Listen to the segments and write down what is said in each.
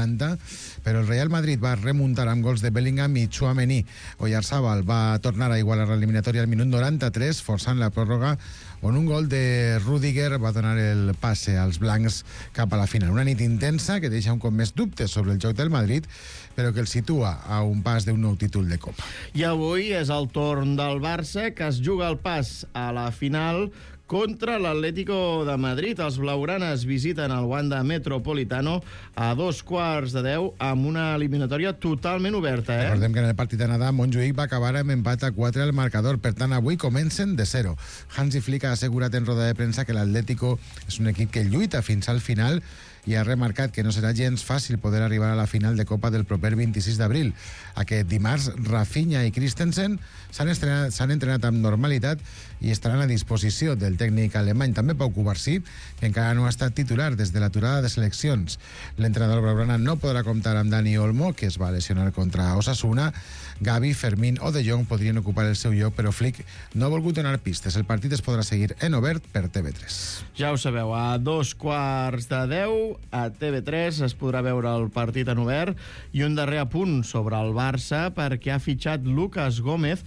90, però el Real Madrid va remuntar amb gols de Bellingham i Tchouaméni. Oyarzabal va tornar a igualar l'eliminatòria al minut 93, forçant la pròrroga, on un gol de Rüdiger va donar el passe als blancs cap a la final. Una nit intensa que deixa un cop més dubtes sobre el joc del Madrid, però que el situa a un pas d'un nou títol de Copa. I avui és el torn del Barça, que es juga el pas a la final contra l'Atlético de Madrid. Els blaugranes visiten el Wanda Metropolitano a 2:15 amb una eliminatòria totalment oberta. Recordem que en el partit d'anada Montjuïc va acabar amb empat a 4 al marcador, per tant avui comencen de 0. Hansi Flick ha assegurat en roda de premsa que l'Atlético és un equip que lluita fins al final i ha remarcat que no serà gens fàcil poder arribar a la final de Copa del proper 26 d'abril. Aquest dimarts, Rafinha i Christensen s'han entrenat amb normalitat i estaran a disposició del tècnic alemany. També Pau Cubarsí, que encara no ha estat titular des de l'aturada de seleccions. L'entrenador blaugrana no podrà comptar amb Dani Olmo, que es va lesionar contra Osasuna. Gavi, Fermín o De Jong podrien ocupar el seu lloc, però Flick no ha volgut donar pistes. El partit es podrà seguir en obert per TV3. Ja ho sabeu, a 2:15 a TV3 es podrà veure el partit en obert. I un darrer apunt sobre el Barça, perquè ha fitxat Lucas Gómez.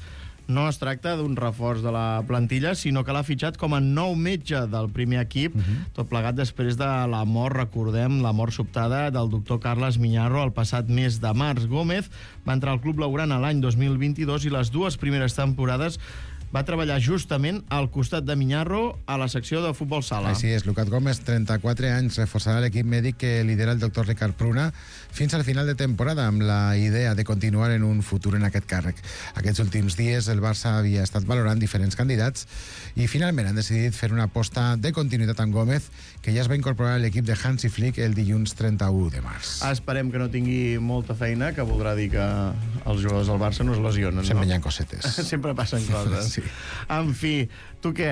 No es tracta d'un reforç de la plantilla, sinó que l'ha fitxat com a nou metge del primer equip, tot plegat després de la mort, recordem, la mort sobtada del doctor Carles Miñarro el passat mes de març. Gómez va entrar al club blaugrana l'any 2022 i les dues primeres temporades va treballar justament al costat de Miñarro a la secció de futbol sala. Així és, Lucas Gómez, 34 anys, reforçarà l'equip mèdic que lidera el doctor Ricard Pruna fins al final de temporada, amb la idea de continuar en un futur en aquest càrrec. Aquests últims dies el Barça havia estat valorant diferents candidats i finalment han decidit fer una aposta de continuïtat amb Gómez, que ja es va incorporar a l'equip de Hansi Flick el dilluns 31 de març. Esperem que no tingui molta feina, que voldrà dir que els jugadors del Barça no es lesionen. Sempre hi ha cosetes. Sempre passen coses. Sí. En fi, tu què?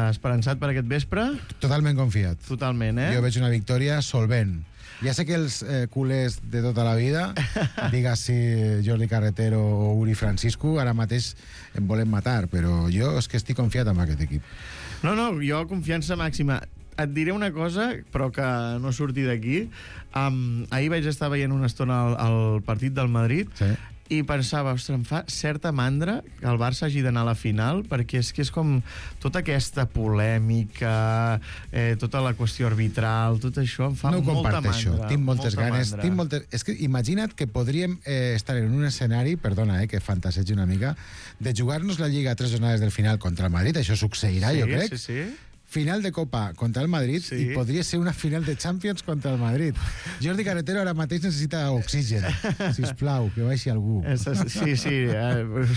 Esperançat per aquest vespre? Totalment confiat. Totalment, Jo veig una victòria solvent. Ja sé que els culers de tota la vida, digues-si Jordi Carretero o Uri Francisco, ara mateix em volen matar, però jo és que estic confiat en aquest equip. No, jo confiança màxima. Et diré una cosa, però que no surti d'aquí. Ahir vaig estar veient una estona el partit del Madrid, Sí. i pensava, ostres, em fa certa mandra que el Barça hagi d'anar a la final, perquè és que és com tota aquesta polèmica, tota la qüestió arbitral, tot això em fa molta mandra. Tinc moltes ganes. És que imagina't que podríem estar en un escenari, perdona, que fantasegi una mica, de jugar-nos la Lliga a 3 jornades del final contra el Madrid. Això succeirà, jo crec. Sí. Final de Copa contra el Madrid, Sí. i podria ser una final de Champions contra el Madrid. Jordi Carretero ara mateix necessita oxigen. Sisplau, que baixi algú. Sí,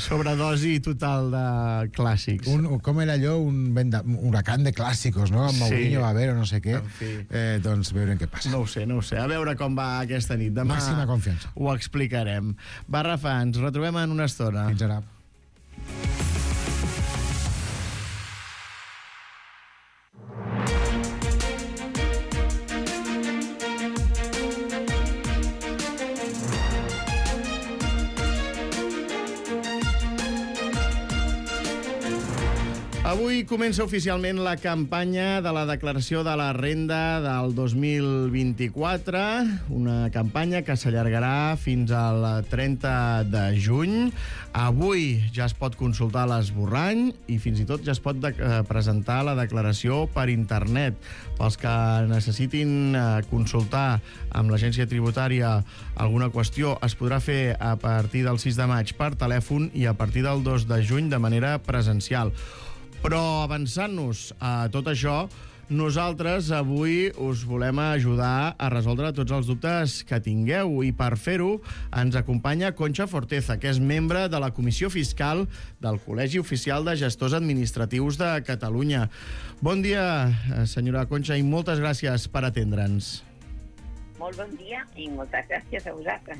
sobredosi total de clàssics. Com era allò? Un huracán de clàssicos, no? Amb Mourinho, Babero, no sé què. En fi. Doncs veurem què passa. No ho sé. A veure com va aquesta nit. Demà Màxima confiança. ho explicarem. Va, Rafa, ens retrobem en una estona. Fins ara. Avui comença oficialment la campanya de la declaració de la renda del 2024, una campanya que s'allargarà fins al 30 de juny. Avui ja es pot consultar l'esborrany i fins i tot ja es pot presentar la declaració per internet. Pels que necessitin consultar amb l'agència tributària alguna qüestió, es podrà fer a partir del 6 de maig per telèfon i a partir del 2 de juny de manera presencial. Però avançant-nos a tot això, nosaltres avui us volem ajudar a resoldre tots els dubtes que tingueu, i per fer-ho ens acompanya Concha Forteza, que és membre de la Comissió Fiscal del Col·legi Oficial de Gestors Administratius de Catalunya. Bon dia, senyora Concha, i moltes gràcies per atendre'ns. Molt bon dia i moltes gràcies a vosaltres.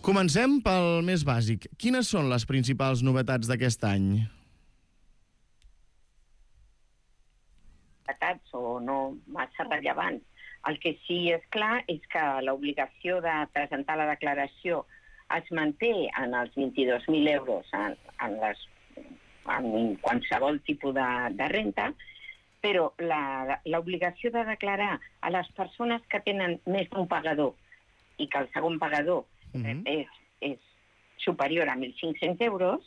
Comencem pel més bàsic. Quines són les principals novetats d'aquest any? Novetats o no massa rellevants. El que sí és clar és que l'obligació de presentar la declaració es manté en els 22.000 euros en qualsevol tipus de renta, Però l'obligació de declarar a les persones que tenen més d'un pagador i que el segon pagador és superior a 1.500 euros,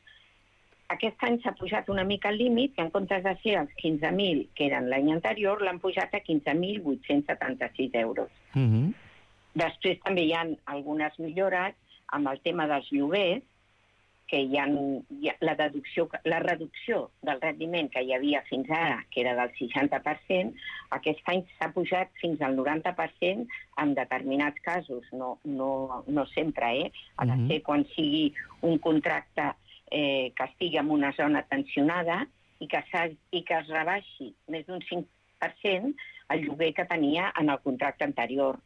aquest any s'ha pujat una mica el límit, que en comptes de ser els 15.000 que eren l'any anterior, l'han pujat a 15.876 euros. Després també hi ha algunes millores amb el tema dels lloguers, que hi ha la reducció del rendiment que hi havia fins ara, que era del 60%, aquest any s'ha pujat fins al 90% en determinats casos, no sempre, ha de ser quan sigui un contracte que estigui en una zona tensionada i que es rebaixi més d'un 5% el lloguer que tenia en el contracte anterior.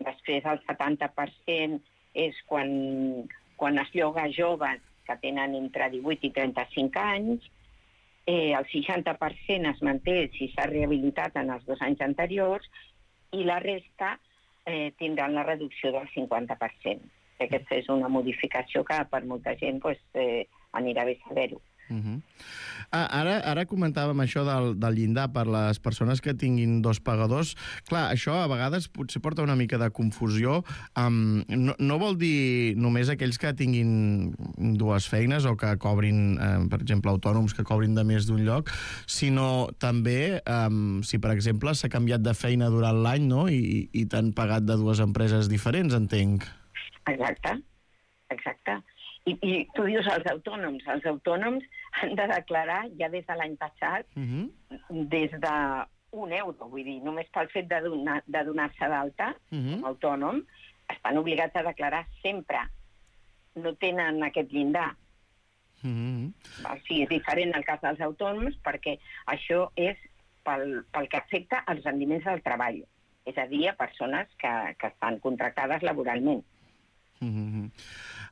Després el 70% és quan es lloga a joves que tenen entre 18 i 35 anys, el 60% es manté si s'ha rehabilitat en els 2 anys anteriors i la resta tindran la reducció del 50%. Aquesta és una modificació que per molta gent anirà bé saber-ho. Ara comentàvem això del llindar per les persones que tinguin 2 pagadors. Clar, això a vegades potser porta una mica de confusió. No vol dir només aquells que tinguin 2 feines o que cobrin, per exemple, autònoms que cobrin de més d'un lloc, sinó també si, per exemple, s'ha canviat de feina durant l'any, no? I t'han pagat de 2 empreses diferents, entenc. Exacte. I tu dius els autònoms. Els autònoms han de declarar ja des de l'any passat des d'1 euro. Vull dir, només pel fet de donar-se d'alta com a autònom, estan obligats a declarar sempre. No tenen aquest llindar. O sigui, és diferent el cas dels autònoms perquè això és pel que afecta als rendiments del treball. És a dir, a persones que estan contractades laboralment.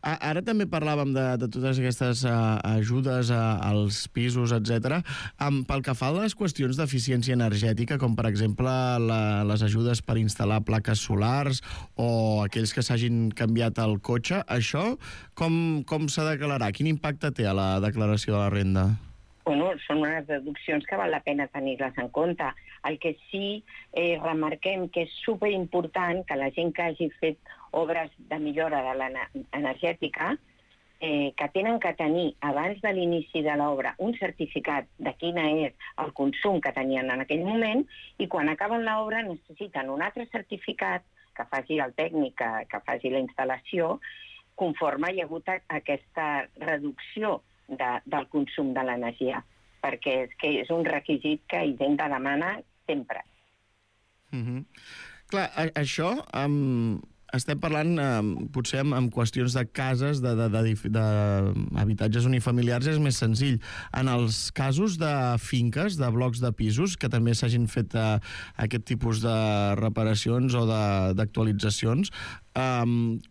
Ara també parlàvem de totes aquestes ajudes als pisos, etc. Pel que fa a les qüestions d'eficiència energètica, com per exemple les ajudes per instal·lar plaques solars o aquells que s'hagin canviat el cotxe, això com s'ha de declarar? Quin impacte té a la declaració de la renda? Són unes deduccions que val la pena tenir-les en compte. El que sí remarquem que és superimportant que la gent que hagi fet obres de millora de l'energètica que tenen que tenir abans de l'inici de l'obra un certificat de quina és el consum que tenien en aquell moment i quan acaben l'obra necessiten un altre certificat que faci el tècnic, que faci la instal·lació, conforme hi ha hagut aquesta reducció del consum de l'energia, perquè és un requisit que Hisenda demana sempre. Clar, això estem parlant potser amb qüestions de cases, d'habitatges unifamiliars és més senzill. En els casos de finques, de blocs de pisos, que també s'hagin fet aquest tipus de reparacions o d'actualitzacions,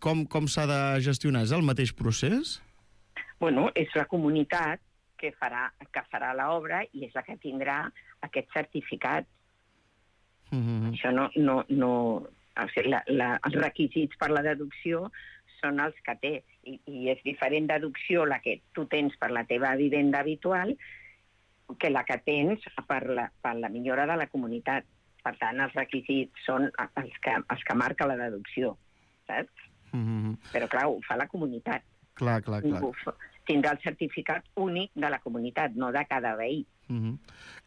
com s'ha de gestionar? És el mateix procés? És la comunitat que farà l'obra i és la que tindrà aquest certificat. Això els requisits per la deducció són els que té i és diferent deducció la que tu tens per la teva vivenda habitual que la que tens per la millora de la comunitat. Per tant, els requisits són els que marca la deducció, saps? Però clar, ho fa la comunitat. Clar. Tindrà el certificat únic de la comunitat, no de cada veí.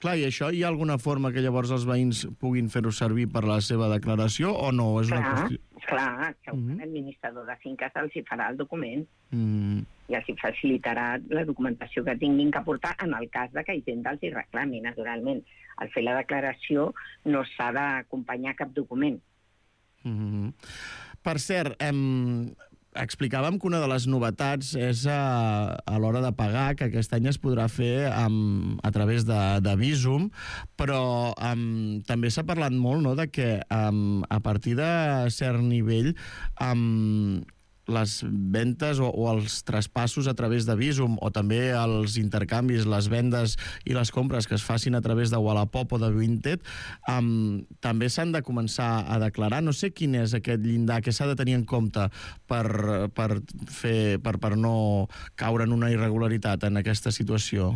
Clar, i això hi ha alguna forma que llavors els veïns puguin fer-ho servir per la seva declaració o no? És una qüestió... Clar, l'administrador de finques els hi farà el document i els hi facilitarà la documentació que tinguin que aportar en el cas de que Hisenda els hi reclami, naturalment. Al fer la declaració no s'ha d'acompanyar cap document. Per cert, explicàvem que una de les novetats és a l'hora de pagar, que aquest any es podrà fer a través de Bizum, però també s'ha parlat molt, no?, de que a partir de cert nivell les ventes o els traspassos a través de Bizum o també els intercanvis, les vendes i les compres que es facin a través de Wallapop o de Vinted també s'han de començar a declarar. No sé quin és aquest llindar que s'ha de tenir en compte per no caure en una irregularitat en aquesta situació.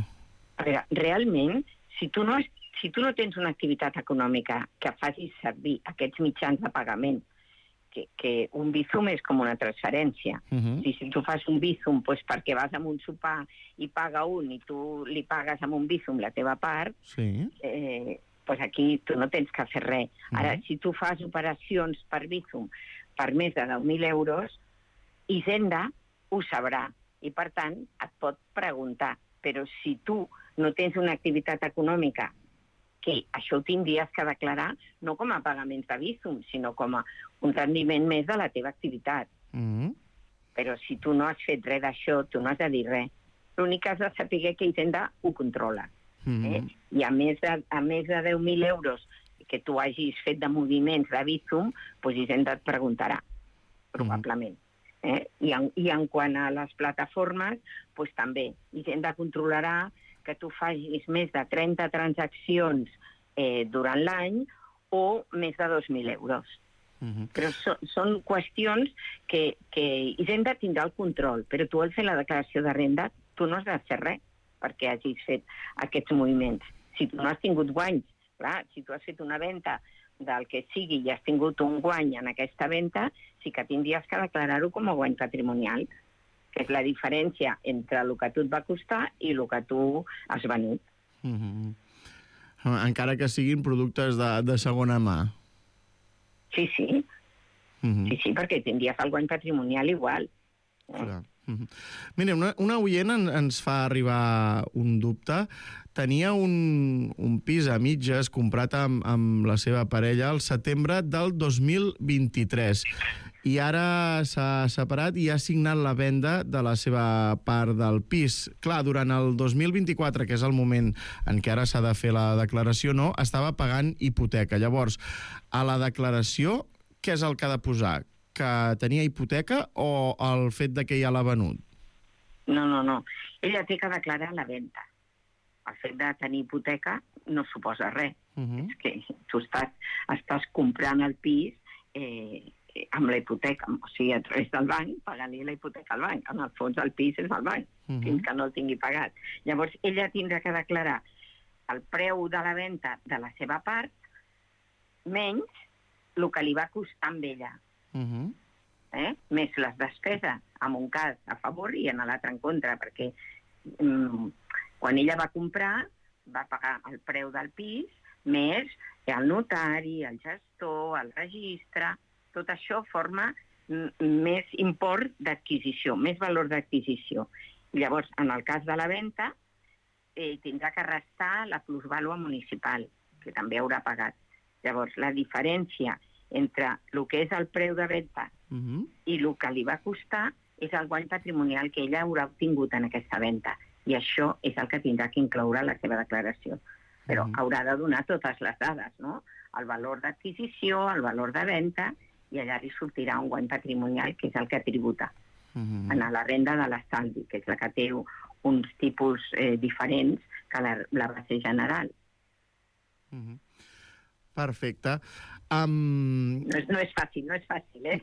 A veure, realment, si si tu no tens una activitat econòmica que facis servir aquests mitjans de pagament, que un Bizum és com una transferència. Si tu fas un Bizum perquè vas a un sopar i paga un i tu li pagues amb un Bizum la teva part, aquí tu no tens que fer res. Ara, si tu fas operacions per Bizum per més de 10.000 euros, Hisenda ho sabrà i, per tant, et pot preguntar. Però si tu no tens una activitat econòmica, que això ho tindries que declarar no com a pagaments de Bizum, sinó com a un rendiment més de la teva activitat. Però si tu no has fet res d'això, tu no has de dir res. L'únic que has de saber que Hisenda ho controla. I a més de 10.000 euros que tu hagis fet de moviments de Bizum, doncs Hisenda et preguntarà, probablement. I en quant a les plataformes, doncs també Hisenda controlarà que tu facis més de 30 transaccions durant l'any o més de 2.000 euros. Però són qüestions que Hisenda tindrà el control, però tu al fer la declaració de renda tu no has de fer res perquè hagis fet aquests moviments. Si tu no has tingut guanys, clar, si tu has fet una venda del que sigui i has tingut un guany en aquesta venda, sí que tindries que declarar-ho com a guany patrimonial, que és la diferència entre el que tu et va costar i el que tu has venut. Encara que siguin productes de segona mà. Sí, perquè tindries el guany patrimonial igual. Mira, una oient ens fa arribar un dubte. Tenia un pis a mitges comprat amb la seva parella al setembre del 2023 i ara s'ha separat i ha signat la venda de la seva part del pis. Clar, durant el 2024, que és el moment en què ara s'ha de fer la declaració, no, estava pagant hipoteca. Llavors, a la declaració, què és el que ha de posar? Que tenia hipoteca o el fet de que ja l'ha venut? No. Ella té que declarar la venda. El fet de tenir hipoteca no suposa res. És que tu estàs comprant el pis amb la hipoteca, o sigui, a través del banc, pagant-li la hipoteca al banc. En el fons, el pis és del banc, fins que no el tingui pagat. Llavors, ella tindrà que declarar el preu de la venda de la seva part menys el que li va costar amb ella. Més les despeses, en un cas a favor i en l'altre en contra, perquè quan ella va comprar va pagar el preu del pis més el notari, el gestor, el registre. Tot això forma més import d'adquisició, més valor d'adquisició. Llavors, en el cas de la venda, tindrà que restar la plusvàlua municipal, que també haurà pagat. Llavors, la diferència entre el que és el preu de venda i el que li va costar és el guany patrimonial que ella haurà obtingut en aquesta venda. I això és el que tindrà que incloure la seva declaració. Però haurà de donar totes les dades, no? El valor d'adquisició, el valor de venda, i allà li sortirà un guany patrimonial, que és el que tributa en la renda de l'estalvi, que és la que té uns tipus diferents que la base general. Perfecte. No és fàcil,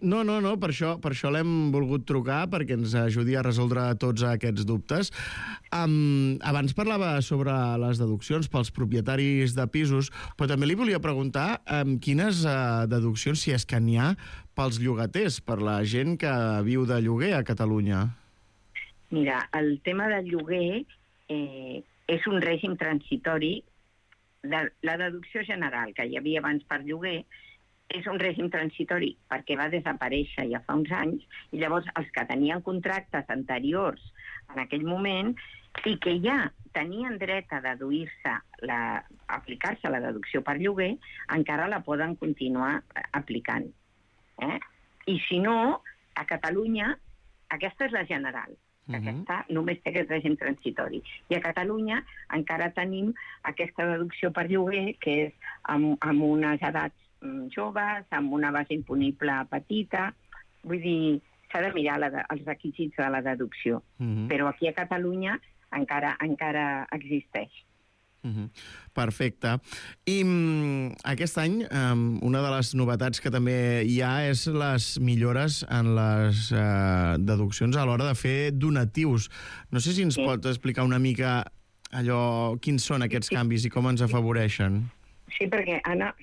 No, per això l'hem volgut trucar, perquè ens ajudi a resoldre tots aquests dubtes. Abans parlava sobre les deduccions pels propietaris de pisos, però també li volia preguntar quines deduccions, si és que n'hi ha, pels llogaters, per la gent que viu de lloguer a Catalunya. Mira, el tema del lloguer és un règim transitori. La deducció general que hi havia abans per lloguer és un règim transitori perquè va desaparèixer ja fa uns anys i llavors els que tenien contractes anteriors en aquell moment i que ja tenien dret a deduir-se, aplicar-se la deducció per lloguer, encara la poden continuar aplicant. I si no, a Catalunya, aquesta és la general, que aquesta només té aquest règim transitori. I a Catalunya encara tenim aquesta deducció per lloguer, que és amb unes edats joves, amb una base imponible petita. Vull dir, s'ha de mirar els requisits de la deducció. Però aquí a Catalunya encara existeix. Perfecte. I aquest any una de les novetats que també hi ha és les millores en les deduccions a l'hora de fer donatius. No sé si ens pot explicar una mica quins són aquests canvis i com ens afavoreixen? Sí, perquè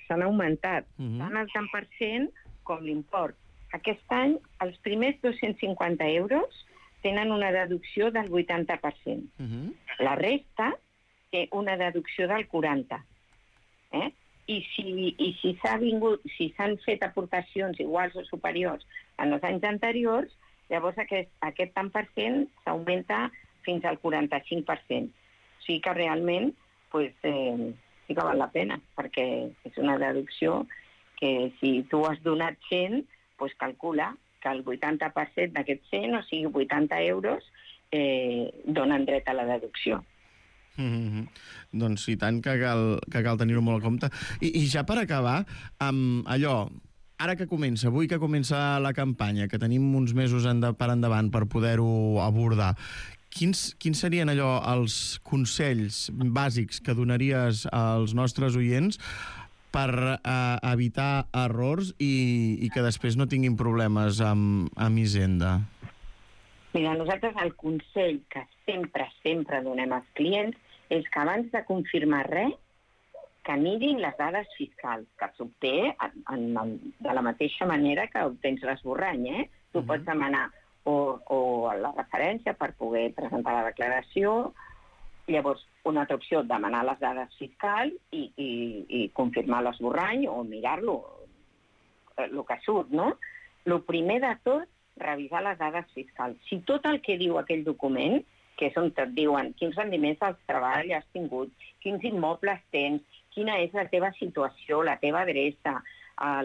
s'han augmentat tant el tant per cent com l'import. Aquest any, els primers 250 euros tenen una deducció del 80%. La resta té una deducció del 40%. I si s'han fet aportacions iguals o superiors en els anys anteriors, llavors aquest tant per cent s'augmenta fins al 45%. O sigui que realment sí que val la pena, perquè és una deducció que si tu has donat 100, doncs calcula que el 80% d'aquest 100, o sigui 80 euros, donen dret a la deducció. Doncs i tant que cal tenir-ho molt a compte. I ja per acabar, ara que comença, avui que comença la campanya, que tenim uns mesos per endavant per poder-ho abordar, quins serien els consells bàsics que donaries als nostres oients per evitar errors i que després no tinguin problemes amb Hisenda? Mira, nosaltres el consell que sempre donem als clients és que abans de confirmar res, que mirin les dades fiscals, que s'obté de la mateixa manera que obtens l'esborrany. Tu pots demanar o la referència per poder presentar la declaració, llavors una altra opció, demanar les dades fiscals i confirmar l'esborrany o mirar-lo, el que surt, no? El primer de tot, revisar les dades fiscals. Si tot el que diu aquell document, que és on et diuen quins rendiments del treball has tingut, quins immobles tens, quina és la teva situació, la teva adreça,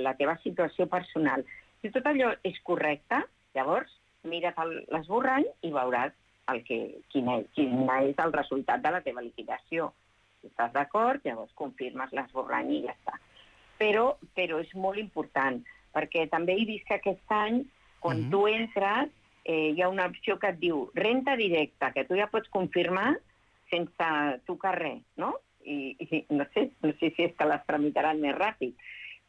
la teva situació personal. Si tot allò és correcte, llavors mira't l'esborrany i veuràs quin és el resultat de la teva liquidació. Si estàs d'acord, llavors confirmes l'esborrany i ja està. Però és molt important, perquè també he vist que aquest any, quan tu entres, hi ha una opció que et diu renta directa, que tu ja pots confirmar sense tocar res, no? I no sé si és que les tramitaran més ràpid,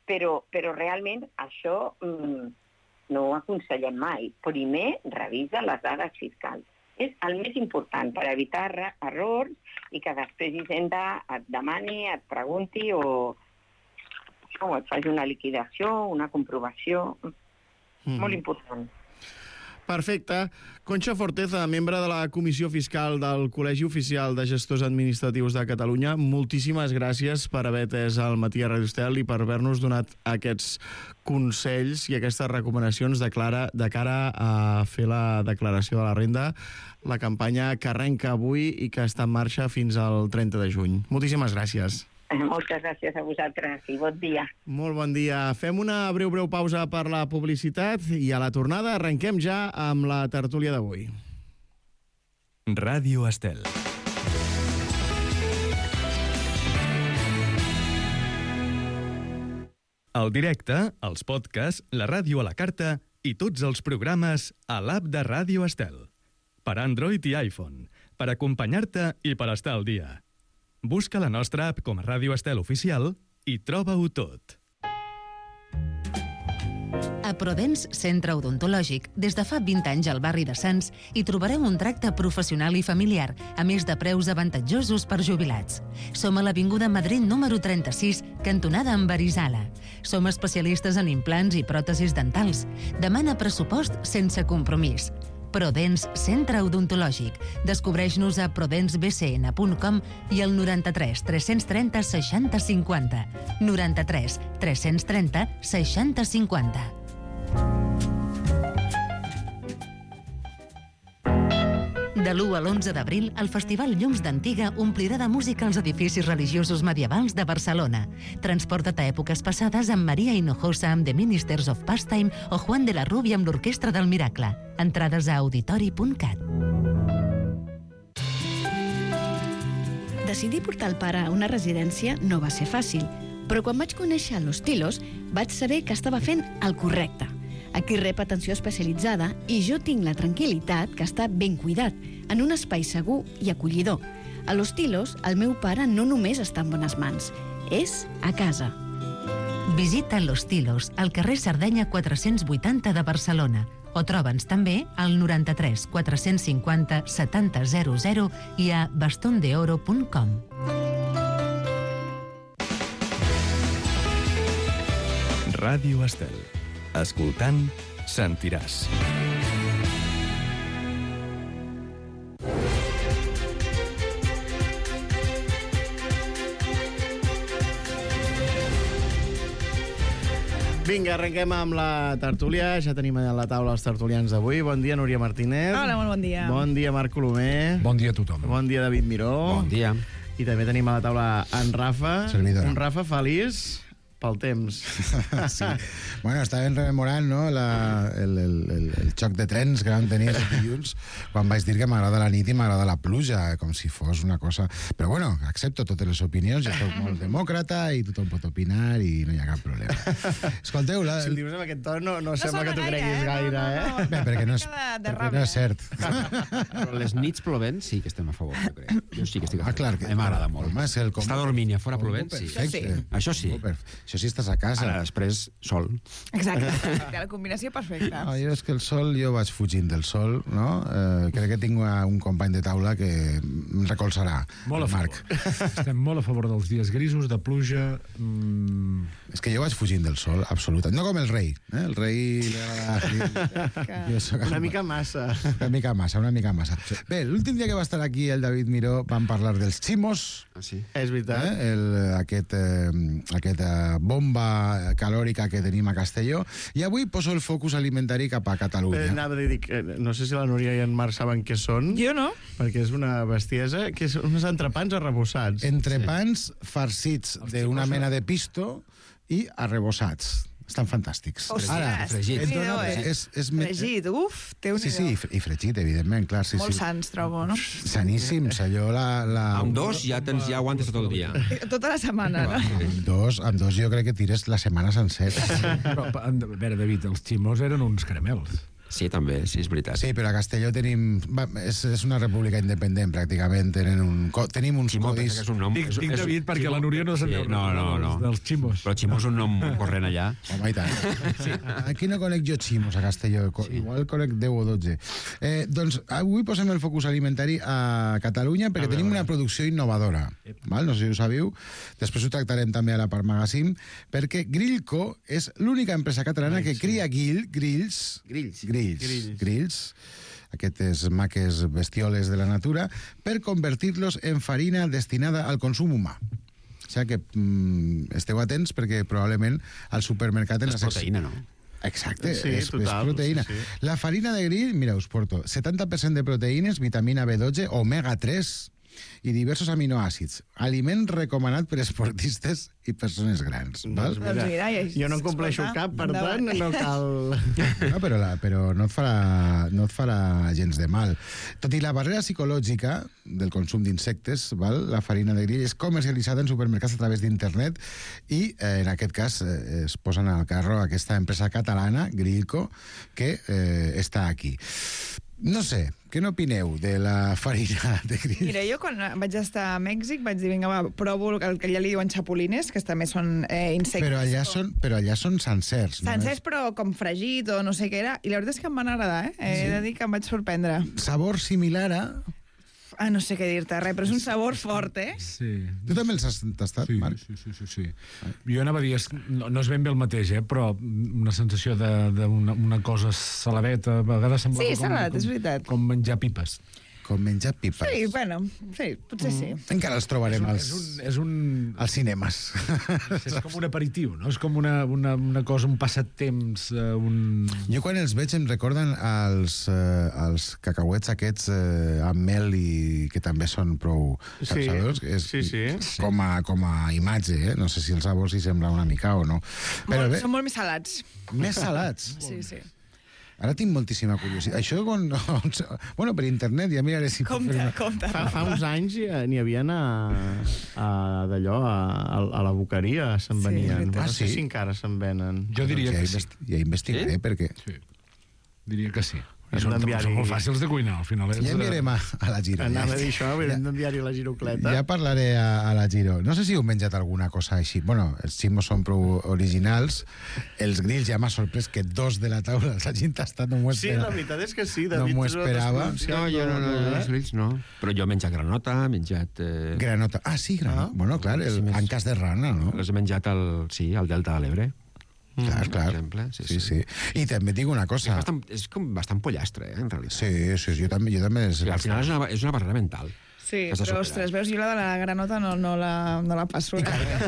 però realment això no ho aconsellem mai. Primer, revisa les dades fiscals. És el més important per evitar errors i que després Hisenda et demani, et pregunti o et faci una liquidació, una comprovació. Molt important. Perfecte. Conxa Forteza, membre de la Comissió Fiscal del Col·legi Oficial de Gestors Administratius de Catalunya, moltíssimes gràcies per haver atès el Matí a Radio Estel i per haver-nos donat aquests consells i aquestes recomanacions de cara a fer la declaració de la renda, la campanya que arrenca avui i que està en marxa fins al 30 de juny. Moltíssimes gràcies. Moltes gràcies a vosaltres i bon dia. Molt bon dia. Fem una breu pausa per la publicitat i a la tornada arrenquem ja amb la tertúlia d'avui. Ràdio Estel. El directe, els podcasts, la ràdio a la carta i tots els programes a l'app de Ràdio Estel. Per Android i iPhone, per acompanyar-te i per estar al dia. Busca la nostra app com a Ràdio Estel Oficial i troba-ho tot. A Prodens Centre Odontològic, des de fa 20 anys al barri de Sants, hi trobareu un tracte professional i familiar, a més de preus avantatjosos per jubilats. Som a l'Avinguda Madrid número 36, cantonada amb Arizala. Som especialistes en implants i pròtesis dentals. Demana pressupost sense compromís. Prodens Centre Odontològic. Descobreix-nos a prodensbcn.com i al 93 330 60 50. 93 330 60 50. De l'1 a l'11 d'abril, el Festival Llums d'Antiga omplirà de música els edificis religiosos medievals de Barcelona. Transporta't a èpoques passades amb Maria Hinojosa amb The Ministers of Pastime o Juan de la Rubia amb l'Orquestra del Miracle. Entrades a auditori.cat. Decidir portar el pare a una residència no va ser fàcil, però quan vaig conèixer Los Tilos vaig saber que estava fent el correcte. Aquí rep atenció especialitzada i jo tinc la tranquil·litat que està ben cuidat, en un espai segur i acollidor. A Los Tilos, el meu pare no només està en bones mans, és a casa. Visita Los Tilos, al carrer Sardenya 480 de Barcelona, o troba'ns també al 93 450 7000 i a bastondeoro.com. Ràdio Estel. Escoltant, sentiràs. Vinga, arrenquem amb la tertúlia. Ja tenim a la taula els tertulians d'avui. Bon dia, Núria Martínez. Hola, molt bon dia. Bon dia, Marc Colomer. Bon dia a tothom. Bon dia, David Miró. Bon dia. I també tenim a la taula en Rafa. Servidora. Un Rafa feliç pel temps. Sí. Bueno, estàvem rememorant, no?, el xoc de trens que vam tenir el dilluns quan vaig dir que m'agrada la nit i m'agrada la pluja, com si fos una cosa... Però bueno, accepto totes les opinions, jo soc molt demòcrata i tothom pot opinar i no hi ha cap problema. Escolteu... Si ho dius amb aquest to, no sembla que t'ho creguis gaire, eh? Bé, perquè no és cert. Però les nits plovent sí que estem a favor, jo crec. Jo sí que estic a favor. Clar, que... M'agrada molt. Home, és el Està dormint i a fora plovent, sí. Perfecte. Això sí. Això sí estàs a casa. Ara, després, sol. Exacte. La combinació perfecta. Jo és que el sol, jo vaig fugint del sol, no? Crec que tinc un company de taula que em recolzarà, Molt a Marc. favor. Estem molt a favor dels dies grisos, de pluja... És que jo vaig fugint del sol, absoluta. No com el rei. El rei... Una mica massa. Una mica massa. Bé, l'últim dia que va estar aquí el David Miró vam parlar dels ximos. Ah, sí? És veritat. Aquesta bomba calòrica que tenim a Castelló, i avui poso el focus alimentari cap a Catalunya. Anava a dir que no sé si la Núria i en Marc saben què són. Jo no. Perquè és una bestiesa, que són uns entrepans arrebossats. Entrepans farcits d'una mena de pisto i arrebossats. Estan fantàstics. Ara, fregit. Fregit, uf, Sí, i fregit, evidentment, clar. Sí, molt sans, trobo, no? Saníssims, allò Amb dos ja aguantes tot el dia. Tota la setmana, no? Amb dos jo crec que tires la setmana sencera. Però, a veure, David, els ximos eren uns caramels. Sí, també, sí, és veritat. Sí, però a Castelló tenim... És una república independent, pràcticament. Tenim uns Ximo, codis... que és un nom... Dic David perquè la Núria no se'n deu No. dels ximos. Però Ximo és un nom corrent allà. Home, i tant. Sí. Aquí no conec jo ximos, a Castelló. Igual conec 10 o 12. Doncs avui posem el focus alimentari a Catalunya perquè tenim una producció innovadora. Val? No sé si ho sabeu. Després ho tractarem també a la Part Magazine, perquè Grillco és l'única empresa catalana que cria grills, aquestes maques bestioles de la natura, per convertir-los en farina destinada al consum humà. O sigui que esteu atents perquè probablement al supermercat... És proteïna, no? Exacte, sí, és total, proteïna. Sí. La farina de grill, mira, us porto 70% de proteïnes, vitamina B12, omega 3 i diversos aminoàcids. Aliment recomanat per esportistes i persones grans. Val? Doncs mira, jo no en compleixo cap, per tant, no cal... No, però no et farà gens de mal. Tot i la barrera psicològica del consum d'insectes, la farina de grill és comercialitzada en supermercats a través d'internet i, en aquest cas, es posen al carro aquesta empresa catalana, Grillco, que està aquí. No sé, què n'opineu de la farina de grill? Mira, jo quan vaig estar a Mèxic vaig dir, vinga, va, provo el que allà li diuen xapulines, que també són insectes. Però allà són sencers. Sencers, però com fregit o no sé què era. I la veritat és que em van agradar, He de dir que em vaig sorprendre. Sabor similar a... No sé què dir-te, res, però és un sabor fort, Sí. Tu també els has tastat, Marc? Sí. Jo anava a dir, no és ben bé el mateix, però una sensació d'una cosa saladeta, a vegades semblava salat, és veritat. Com menjar pipes. Com menjar pipes. Sí, bueno, sí, potser sí. Encara els trobarem als cinemes. És com un aperitiu, no? És com una cosa, un passatemps, Jo quan els veig em recorden els cacauets aquests amb mel i que també són prou sabedors. Sí. Com a imatge, No sé si el sabor s'hi sembla una mica o no. Són molt més salats. Més salats? Sí. Ara tinc moltíssima curiositat. Això, bueno, per internet ja miraré si... Compte. Fa uns anys n'hi havia d'allò, a la boqueria se'n venien. No sé si encara se'n venen. Jo diria que sí. Ja investigaré, perquè... Sí. Diria que sí. Són molt fàcils de cuinar, al final. Ja enviarem a la Giro. Anava a dir això, haurem d'enviar-hi la girocleta. Ja parlaré a la Giro. No sé si heu menjat alguna cosa així. Bueno, els ximos són prou originals. Els grills ja m'ha sorprès que 2 de la taula els hagin tastat. No m'ho esperava. Sí, la veritat és que sí. No m'ho esperava. No, els grills no. Però jo he menjat granota, he menjat... Granota. Ah, sí, granota. Bueno, clar, el ancas de rana, no? Els he menjat al Delta de l'Ebre. Clar. Per exemple, sí. I també et dic una cosa. És com bastant pollastre, en realitat. Sí, jo també... Al final és una barrera mental. Sí, però, ostres, veus, jo la de la granota no la passo. I cargo.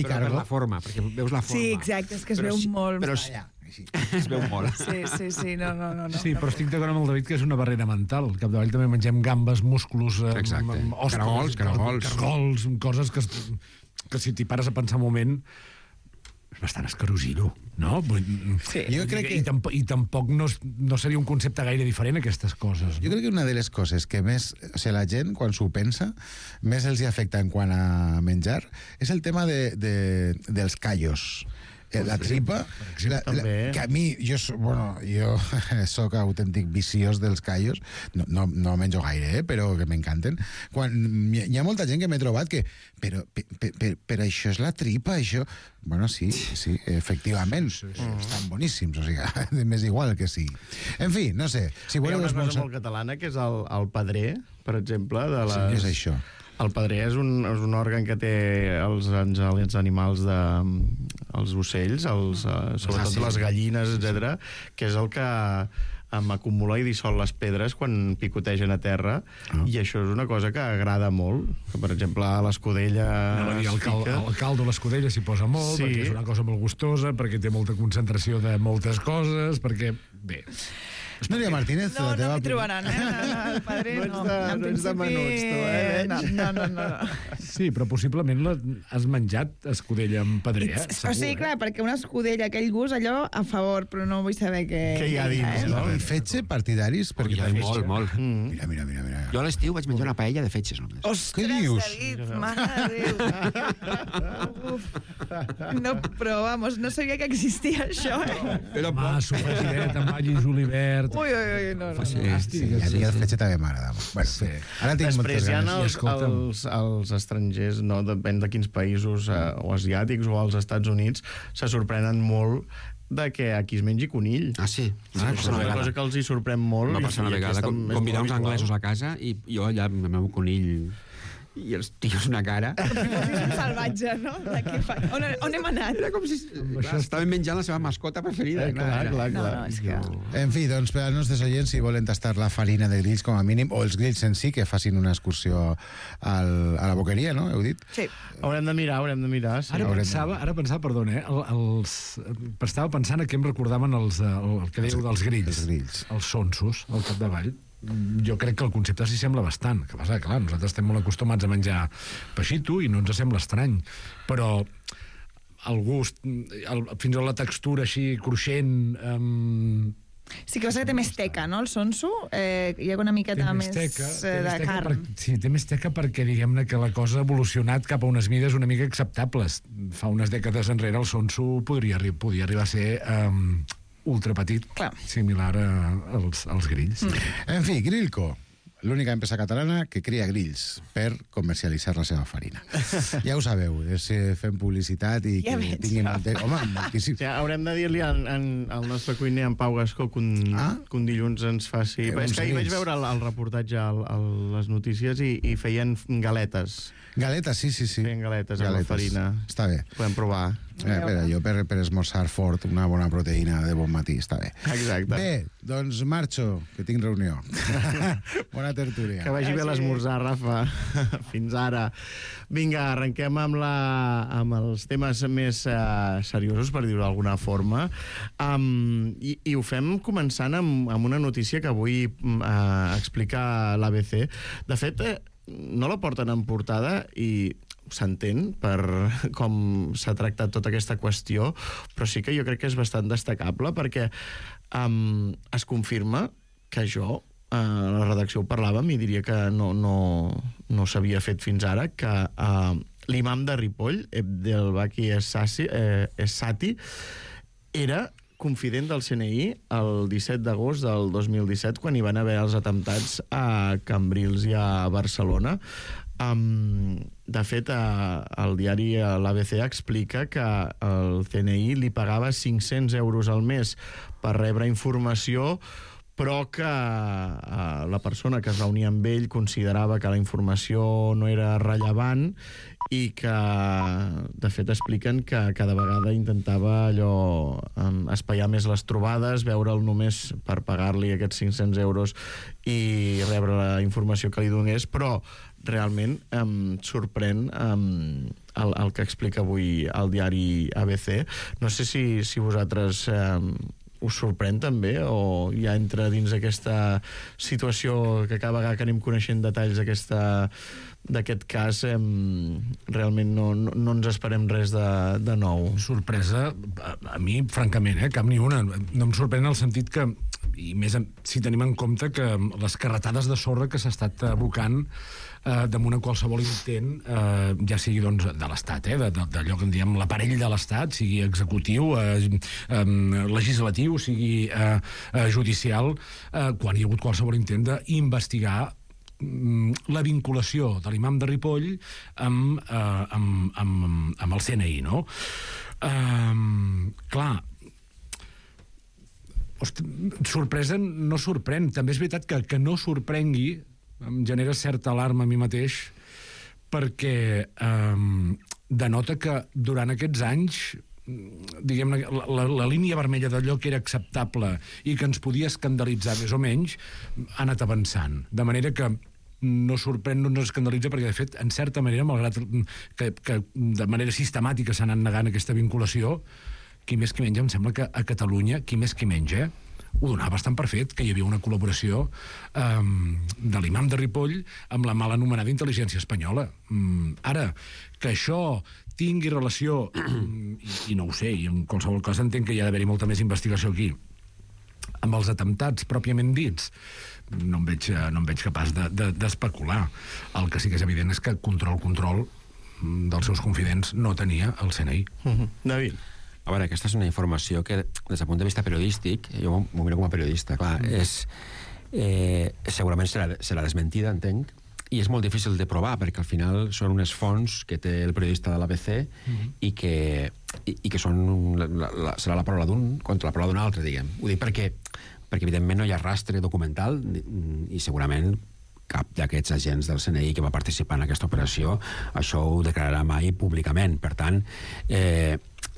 Per la forma, perquè veus la forma. Sí, exacte, és que es veu molt... Però es veu molt. Sí, no. Sí, però estic d'acord amb el David que és una barrera mental. Al capdavall també mengem gambes, músculs, caragols, cargols, coses que si t'hi pares a pensar un moment... és bastant escarosillo, no? Sí. Jo crec que... I tampoc no seria un concepte gaire diferent, aquestes coses. Jo crec que una de les coses que més... O sigui, la gent, quan s'ho pensa, més els hi afecta en quant a menjar, és el tema dels callos. La tripa, que a mi, jo soc autèntic viciós dels callos, no menjo gaire, però que m'encanten. Hi ha molta gent que m'he trobat que però això és la tripa, això... Bueno, sí, efectivament, estan boníssims, o sigui, m'és igual que sí. En fi, no sé. Hi ha una cosa molt catalana, que és el padrer, per exemple, de les... Sí, és això. El padrer és un òrgan que té els animals, els ocells, sobretot les gallines, etc, que és el que acumula i dissol les pedres quan picotegen a terra, i això és una cosa que agrada molt, que per exemple a l'escudella el caldo a l'escudella s'hi posa molt, perquè és una cosa molt gustosa, perquè té molta concentració de moltes coses, perquè, bé... Núria Martínez, no m'hi trobaran, el padre no. No ets de menuts, tu, No. Sí, però possiblement has menjat escudella amb padrer, O sigui, clar, perquè una escudella, aquell gust, allò a favor, però no vull saber què hi ha dins, no? I fetge partidaris? Molt. Mira. Jo a l'estiu vaig menjar una paella de fetges, només. Ostres, David, mare de Déu. No, però, vamos, no sabia que existia això, sofregidet amb all i julivert. Ui, no. Sí, el fetge també m'agrada. Després hi ha els estrangers, no? Depèn de quins països, o asiàtics o als Estats Units, se sorprenen molt de que aquí es mengi conill. Sí. És una cosa que els hi sorprèn molt. Va passar una vegada, convidar uns anglesos a casa i jo allà amb el meu conill i els tios una cara. És un salvatge, no? On hem anat? Era com si estaven menjant la seva mascota preferida. Clar. No, és que... En fi, doncs, per als nostres oients, si volen tastar la farina de grills com a mínim, o els grills en si, que facin una excursió a la boqueria, no? Heu dit? Sí. Haurem de mirar. Sí. Ara pensava, perdona, estava pensant que em recordaven el que dèieu dels grills. Els sonsos, al capdavall. Jo crec que el concepte s'hi sembla bastant. Que passa, clar, nosaltres estem molt acostumats a menjar peixito i no ens sembla estrany. Però el gust, fins i tot la textura així cruixent... Sí que passa que té més teca, no, el sonso? Hi ha una miqueta més de carn. Sí, té més teca perquè diguem-ne que la cosa ha evolucionat cap a unes mides una mica acceptables. Fa unes dècades enrere el sonso podia arribar a ser... ultrapetit, similar als grills. En fi, Grillco, l'única empresa catalana que cria grills per comercialitzar la seva farina. Ja ho sabeu, fem publicitat i que tinguin... Home, moltíssim. Haurem de dir-li al nostre cuiner, en Pau Gascó, que un dilluns ens faci... És que ahir vaig veure el reportatge a les notícies i feien galetes. Galetes, sí. Feien galetes amb la farina. Està bé. Podem provar. Jo per esmorzar fort una bona proteïna de bon matí, està bé. Exacte. Bé, doncs marxo, que tinc reunió. Bona tertúlia. Que vagi bé l'esmorzar, Rafa. Fins ara. Vinga, arrenquem amb els temes més seriosos, per dir-ho d'alguna forma. I ho fem començant amb una notícia que avui explica l'ABC. De fet, no la porten en portada i s'entén per com s'ha tractat tota aquesta qüestió, però sí que jo crec que és bastant destacable perquè es confirma que jo, a la redacció ho parlàvem i diria que no s'havia fet fins ara, que l'imam de Ripoll, Abdelbaki Essati, era confident del CNI el 17 d'agost del 2017, quan hi van haver els atemptats a Cambrils i a Barcelona. De fet, el diari l'ABC explica que el CNI li pagava 500 euros al mes per rebre informació, però que la persona que es reunia amb ell considerava que la informació no era rellevant i que, de fet, expliquen que cada vegada intentava allò espaiar més les trobades, veure'l només per pagar-li aquests 500 euros i rebre la informació que li donés, però realment sorprèn el que explica avui el diari ABC. No sé si vosaltres us sorprèn també, o ja entra dins aquesta situació que cada vegada que anem coneixent detalls d'aquest cas realment no ens esperem res de nou. Sorpresa, a mi, francament, cap ni una. No em sorprèn en el sentit que, i més si tenim en compte que les carretades de sorra que s'ha estat abocant damunt en qualsevol intent, ja sigui doncs, de l'Estat, d'allò que en diem l'aparell de l'Estat, sigui executiu, legislatiu, sigui judicial, quan hi ha hagut qualsevol intent d'investigar la vinculació de l'imam de Ripoll amb el CNI, no? Clar, sorpresa no sorprèn. També és veritat que no sorprengui em genera certa alarma a mi mateix, perquè denota que durant aquests anys, diguem-ne, la línia vermella d'allò que era acceptable i que ens podia escandalitzar més o menys ha anat avançant, de manera que no sorprèn, no ens escandalitza, perquè de fet, en certa manera, malgrat que de manera sistemàtica s'ha anat negant aquesta vinculació, qui més qui menys, em sembla que a Catalunya, qui més qui menys, ho donava bastant per fet, que hi havia una col·laboració de l'imam de Ripoll amb la mal anomenada intel·ligència espanyola. Ara, que això tingui relació, i no ho sé, i en qualsevol cas entenc que hi ha d'haver-hi molta més investigació aquí, amb els atemptats pròpiament dits, no em veig capaç d'especular. El que sí que és evident és que control dels seus confidents no tenia el CNI. David? A veure, aquesta és una informació que, des del punt de vista periodístic, jo m'ho miro com a periodista, clar, segurament serà desmentida, entenc, i és molt difícil de provar, perquè al final són unes fonts que té el periodista de l'ABC i que són serà la paraula d'un contra la paraula d'un altre, diguem. Ho dic perquè evidentment no hi ha rastre documental i segurament cap d'aquests agents del CNI que va participar en aquesta operació això ho declararà mai públicament. Per tant,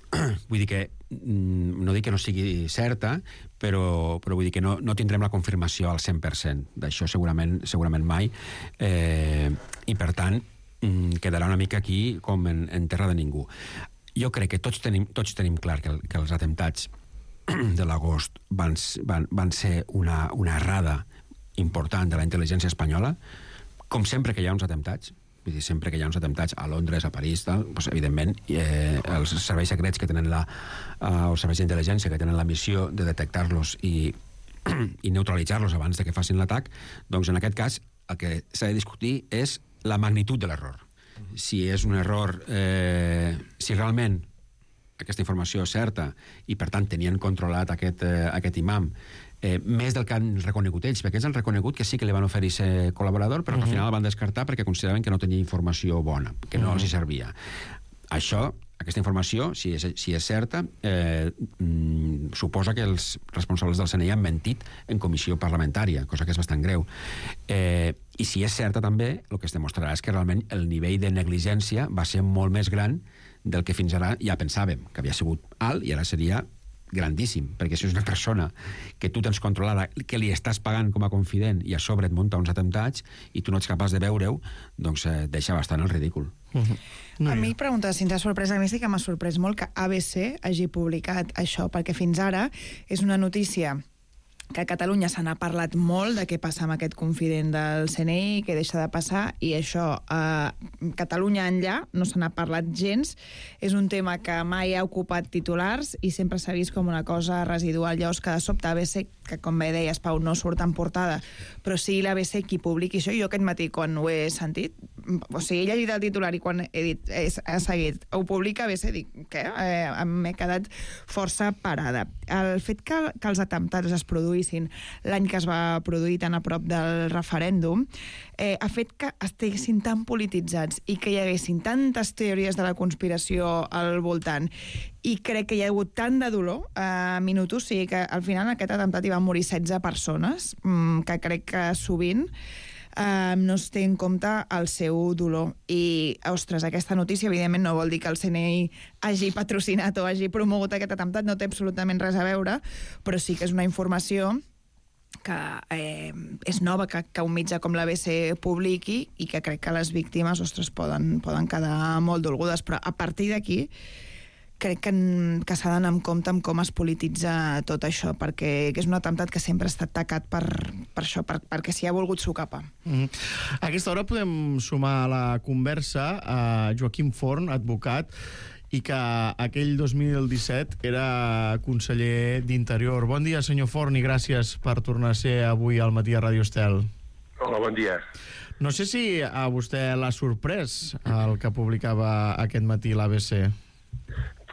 vull dir que no dic que no sigui certa, però vull dir que no tindrem la confirmació al 100% d'això segurament mai, i per tant quedarà una mica aquí com en terra de ningú. Jo crec que tots tenim clar que els atemptats de l'agost van ser una errada important de la intel·ligència espanyola, com sempre que hi ha uns atemptats. Vull dir, sempre que hi ha uns atemptats a Londres, a París, doncs, evidentment, els serveis secrets que tenen els serveis d'intel·ligència que tenen la missió de detectar-los i neutralitzar-los abans de que facin l'atac, doncs en aquest cas el que s'ha de discutir és la magnitud de l'error. Si és un error, si realment aquesta informació és certa i per tant tenien controlat aquest imam, més del que han reconegut ells, perquè ells han reconegut que sí que li van oferir ser col·laborador, però al final el van descartar perquè consideraven que no tenia informació bona, que no els hi servia. Aquesta informació, si és certa, suposa que els responsables del CNI han mentit en comissió parlamentària, cosa que és bastant greu. I si és certa també, el que es demostrarà és que realment el nivell de negligència va ser molt més gran del que fins ara ja pensàvem, que havia sigut alt i ara seria grandíssim, perquè si és una persona que tu tens controlada, que li estàs pagant com a confident i a sobre et munta uns atemptats i tu no ets capaç de veure-ho, doncs deixa bastant el ridícul. A mi pregunta si ens ha sorprès, a mi sí que m'ha sorprès molt que ABC hagi publicat això, perquè fins ara és una notícia que a Catalunya se n'ha parlat molt de què passa amb aquest confident del CNI, què deixa de passar, i això a Catalunya enllà no se n'ha parlat gens. És un tema que mai ha ocupat titulars i sempre s'ha vist com una cosa residual. Llavors que de sobte ABC, que com bé deies, Pau, no surt en portada, però sí l'ABC qui publiqui això. Jo aquest matí, quan ho he sentit, o sigui, he llegit el titular i quan he dit, he seguit, ho publica ABC, dic, què? M'he quedat força parada. El fet que els atemptats es produïssin l'any que es va produir tan a prop del referèndum ha fet que estiguessin tan polititzats i que hi haguessin tantes teories de la conspiració al voltant, i crec que hi ha hagut tant de dolor a minutos, o sigui que al final en aquest atemptat hi van morir 16 persones, que crec que sovint no es té en compte el seu dolor. I, ostres, aquesta notícia evidentment no vol dir que el CNI hagi patrocinat o hagi promogut aquest atemptat, no té absolutament res a veure, però sí que és una informació que és nova, que un mitjà com l'ABC publiqui, i que crec que les víctimes, ostres, poden quedar molt dolgudes, però a partir d'aquí crec que s'ha d'anar amb compte amb com es polititza tot això, perquè és un atemptat que sempre ha estat tacat per això, perquè s'hi ha volgut socapar. A aquesta hora podem sumar a la conversa a Joaquim Forn, advocat, i que aquell 2017 era conseller d'Interior. Bon dia, senyor Forn, i gràcies per tornar a ser avui al Matí a Ràdio Estel. Hola, bon dia. No sé si a vostè l'ha sorprès el que publicava aquest matí l'ABC.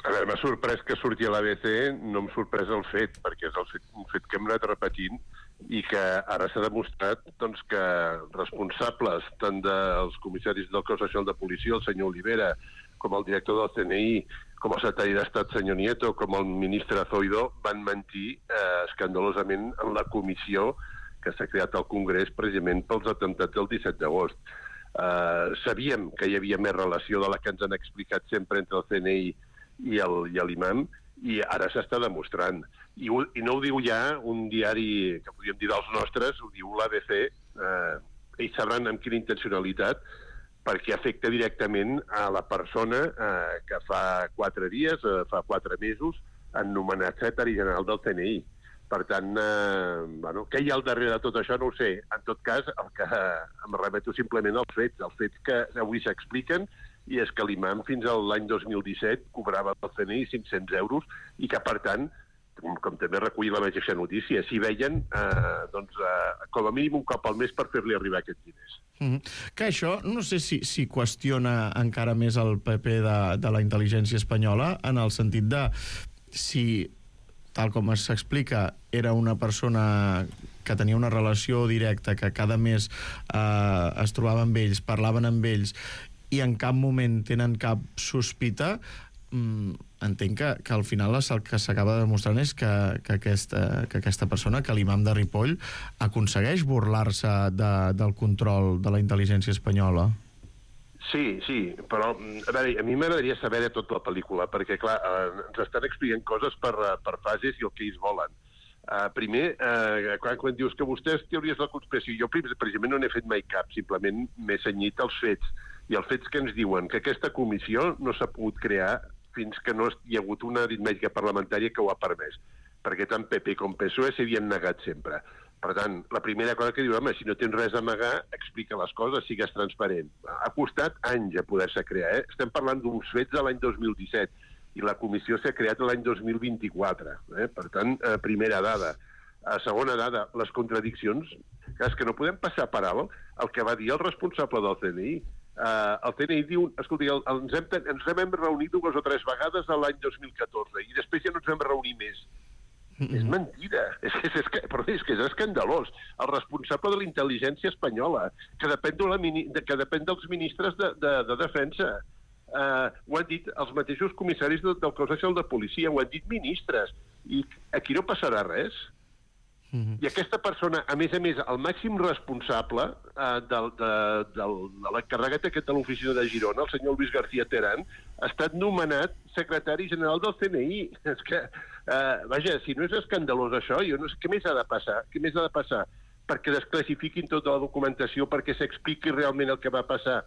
A veure, m'ha sorprès que surti a l'ABC, no m'ha sorprès el fet, perquè és un fet que hem anat repetint i que ara s'ha demostrat doncs, que responsables tant dels comissaris del Cos Nacional de Policia, el senyor Olivera, com el director del CNI, com el secretari d'Estat, senyor Nieto, com el ministre Zoido, van mentir escandalosament en la comissió que s'ha creat al Congrés precisament pels atemptats del 17 d'agost. Sabíem que hi havia més relació de la que ens han explicat sempre entre el CNI i l'imam, i ara s'està demostrant. I no ho diu ja un diari que podríem dir dels nostres, ho diu l'ABC. Ells sabran amb quina intencionalitat, perquè afecta directament a la persona que fa 4 dies, fa 4 mesos, han nomenat secretari general del CNI. Per tant, què hi ha al darrere de tot això no ho sé. En tot cas, el que em remeto simplement als fets que avui s'expliquen, i és que l'imam fins a l'any 2017 cobrava del CNI 500 euros i que, per tant, com també recull la mateixa notícia, s'hi veien com a mínim un cop al mes per fer-li arribar aquests diners. Que això, no sé si qüestiona encara més el PP de la intel·ligència espanyola, en el sentit de si, tal com s'explica, era una persona que tenia una relació directa, que cada mes es trobava amb ells, parlaven amb ells, i en cap moment tenen cap sospita, entenc que al final el que s'acaba demostrant és que aquesta persona, que l'imam de Ripoll, aconsegueix burlar-se del control de la intel·ligència espanyola. Sí, però a veure, a mi m'agradaria saber de tota la pel·lícula, perquè, clar, ens estan explicant coses per fases i el que ells volen. Primer, quan dius que vostès teories de la conspiració, jo precisament no n'he fet mai cap, simplement m'he cenyit als fets, i els fets que ens diuen que aquesta comissió no s'ha pogut crear fins que no hi ha hagut una aritmètica parlamentària que ho ha permès, perquè tant PP com PSOE s'havien negat sempre. Per tant, la primera cosa que diu, home, si no tens res a amagar, explica les coses, sigues transparent. Ha costat anys a poder-se crear, Estem parlant d'uns fets de l'any 2017, i la comissió s'ha creat l'any 2024. Per tant, primera dada. Segona dada, les contradiccions. És que no podem passar per alt el que va dir el responsable del CNI. El CNI diu, escolti, ens vam reunir 2 o 3 vegades l'any 2014 i després ja no ens vam reunir més. És mentida. És que és escandalós. El responsable de la intel·ligència espanyola, que depèn dels ministres de defensa. Ho han dit els mateixos comissaris del Cos Nacional de Policia, ho han dit ministres. I aquí no passarà res. I aquesta persona, a més, el màxim responsable de l'encarregat aquest de l'oficina de Girona, el senyor Luis García Terán, ha estat nomenat secretari general del CNI. És que, vaja, si no és escandalós això, jo no sé què més ha de passar. Què més ha de passar? Perquè desclassifiquin tota la documentació, perquè s'expliqui realment el que va passar.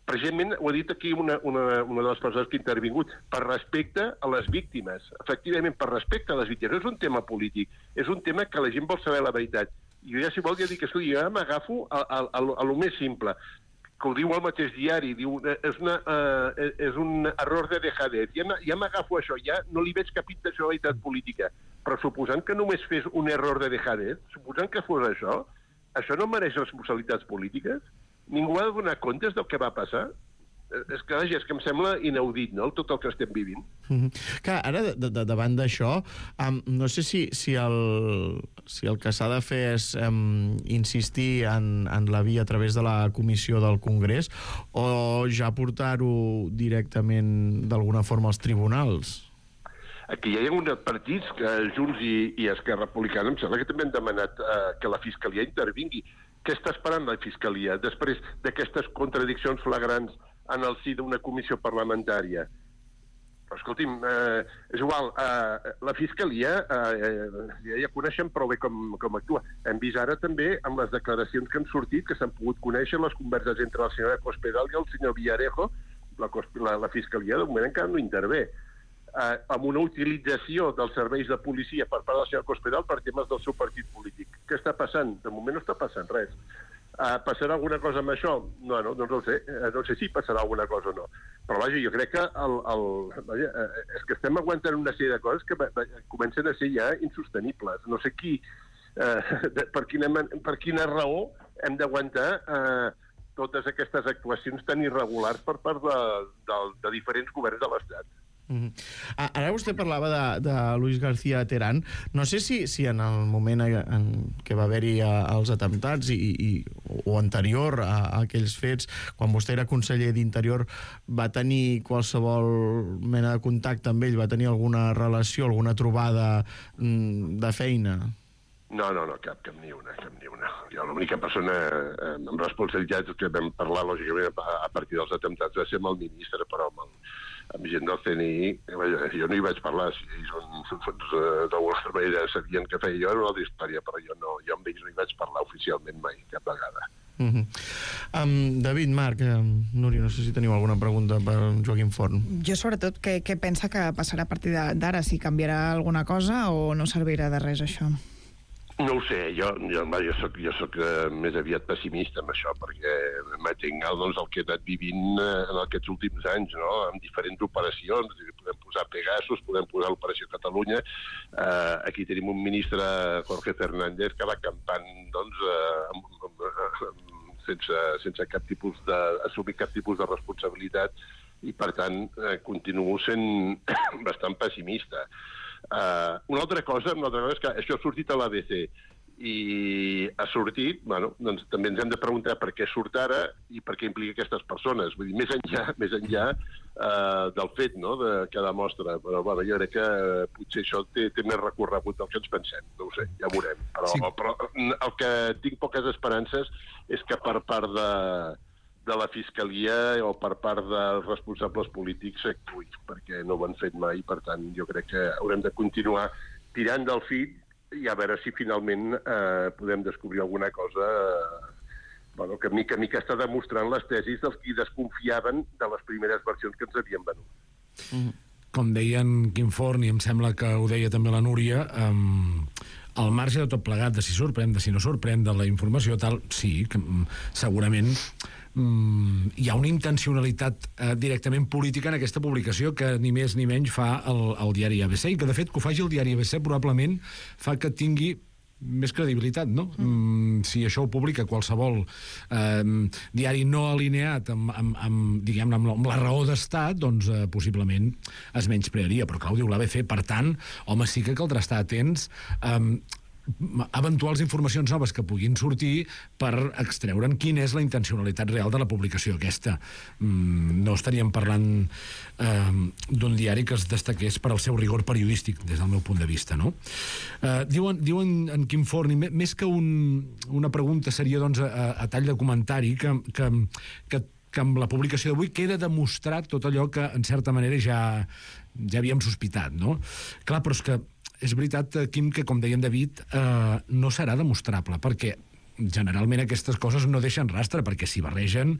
precisament ho ha dit aquí una de les persones que ha intervingut, per respecte a les víctimes. Efectivament, per respecte a les víctimes. No és un tema polític, és un tema que la gent vol saber la veritat. I jo ja, si vol, ja dic, escolta, jo m'agafo a lo més simple, que ho diu el mateix diari, diu, és un error de dejadez. Ja m'agafo això, ja no li veig cap intencionalitat política. Però suposant que només fes un error de dejadez, suposant que fos això no mereix responsabilitats polítiques? Ningú ha de donar comptes del que va passar? És que em sembla inaudit, no?, tot el que estem vivint. Clar, ara, davant d'això, no sé si el que s'ha de fer és insistir en la via a través de la comissió del Congrés o ja portar-ho directament d'alguna forma als tribunals. Aquí hi ha uns partits, Junts i Esquerra Republicana, em sembla que també han demanat que la Fiscalia intervingui. Què està esperant la Fiscalia després d'aquestes contradiccions flagrants en el si d'una comissió parlamentària? Però, escolti'm, és igual, la Fiscalia ja coneixen prou bé com actua. Hem vist ara també amb les declaracions que han sortit, que s'han pogut conèixer les converses entre la senyora Cospedal i el senyor Villarejo. La Fiscalia de moment encara no intervé. Amb una utilització dels serveis de policia per part de la senyora Cospedal per temes del seu partit polític. Què està passant? De moment no està passant res. Passarà alguna cosa amb això? No ho sé. No sé si passarà alguna cosa o no. Però vaja, jo crec que és que estem aguantant una sèrie de coses que comencen a ser ja insostenibles. No sé per quina raó hem d'aguantar totes aquestes actuacions tan irregulars per part de diferents governs de l'Estat. Ara vostè parlava de Luis García Terán. No sé si en el moment en què va haver-hi els atemptats o anterior a aquells fets, quan vostè era conseller d'Interior, va tenir qualsevol mena de contacte amb ell? Va tenir alguna relació, alguna trobada de feina? No, cap ni una. Jo l'única persona amb responsabilitats que vam parlar, lògicament, a partir dels atemptats va ser amb el ministre, però amb gent del CNI, jo no hi vaig parlar. Si ells d'alguna manera sabien què feia jo, era una altra història, però jo amb ells no hi vaig parlar oficialment mai, cap vegada. David, Marc, Núria, no sé si teniu alguna pregunta per Joaquim Forn. Jo, sobretot, què pensa que passarà a partir d'ara? Si canviarà alguna cosa o no servirà de res, això? No ho sé, jo soc més aviat pessimista amb això, perquè m'atenc el que he anat vivint en aquests últims anys, no?, amb diferents operacions. Podem posar Pegasus, podem posar l'Operació Catalunya. Aquí tenim un ministre, Jorge Fernández, que va campant, sense assumir cap tipus de responsabilitat, i, per tant, continuo sent bastant pessimista. Una altra cosa és que això ha sortit a l'ABC i ha sortit, doncs també ens hem de preguntar per què surt ara i per què implica aquestes persones. Vull dir, més enllà del fet, no?, que demostra. Però jo crec que potser això té més recorregut del que ens pensem. No ho sé, ja ho veurem. Però el que tinc poques esperances és que per part de la Fiscalia o per part dels responsables polítics s'actuï, perquè no ho han fet mai. Per tant, jo crec que haurem de continuar tirant del fil i a veure si finalment podem descobrir alguna cosa que mica en mica està demostrant les tesis dels qui desconfiaven de les primeres versions que ens havien venut. Com deia en Quim Forn, i em sembla que ho deia també la Núria, al marge de tot plegat, de si sorprèn, de si no sorprèn, de la informació tal, sí, que segurament hi ha una intencionalitat directament política en aquesta publicació que ni més ni menys fa el diari ABC, i que de fet que ho faci el diari ABC probablement fa que tingui més credibilitat, no? Si això ho publica qualsevol diari no alineat amb la raó d'estat, doncs possiblement es menysprearia, però clar, ho diu l'ABC. Per tant, home, sí que caldrà estar atents eventuals informacions noves que puguin sortir per extreure'n quina és la intencionalitat real de la publicació aquesta. No estaríem parlant d'un diari que es destaqués per al seu rigor periodístic, des del meu punt de vista, no? Diuen en Quim Forn, i més que una pregunta seria, doncs, a tall de comentari, que amb la publicació d'avui queda demostrat tot allò que, en certa manera, ja havíem sospitat, no? Clar, però és que és veritat, Quim, que, com deia en David, no serà demostrable, perquè generalment aquestes coses no deixen rastre, perquè s'hi barregen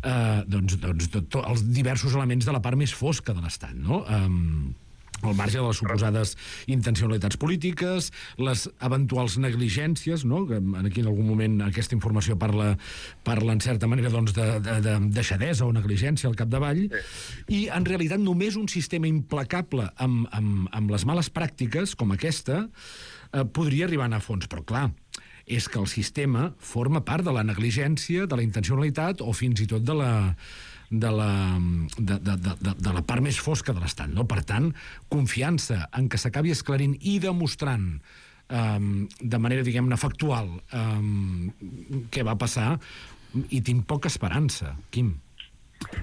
els diversos elements de la part més fosca de l'Estat, no? Al marge de les suposades intencionalitats polítiques, les eventuals negligències, no? Aquí en algun moment aquesta informació parla en certa manera de deixadesa o negligència al capdavall, i en realitat només un sistema implacable amb les males pràctiques com aquesta podria arribar a anar a fons, però clar, és que el sistema forma part de la negligència, de la intencionalitat o fins i tot de la part més fosca de l'Estat, no? Per tant, confiança en que s'acabi esclarint i demostrant de manera, diguem-ne, factual què va passar, i tinc poca esperança, Quim.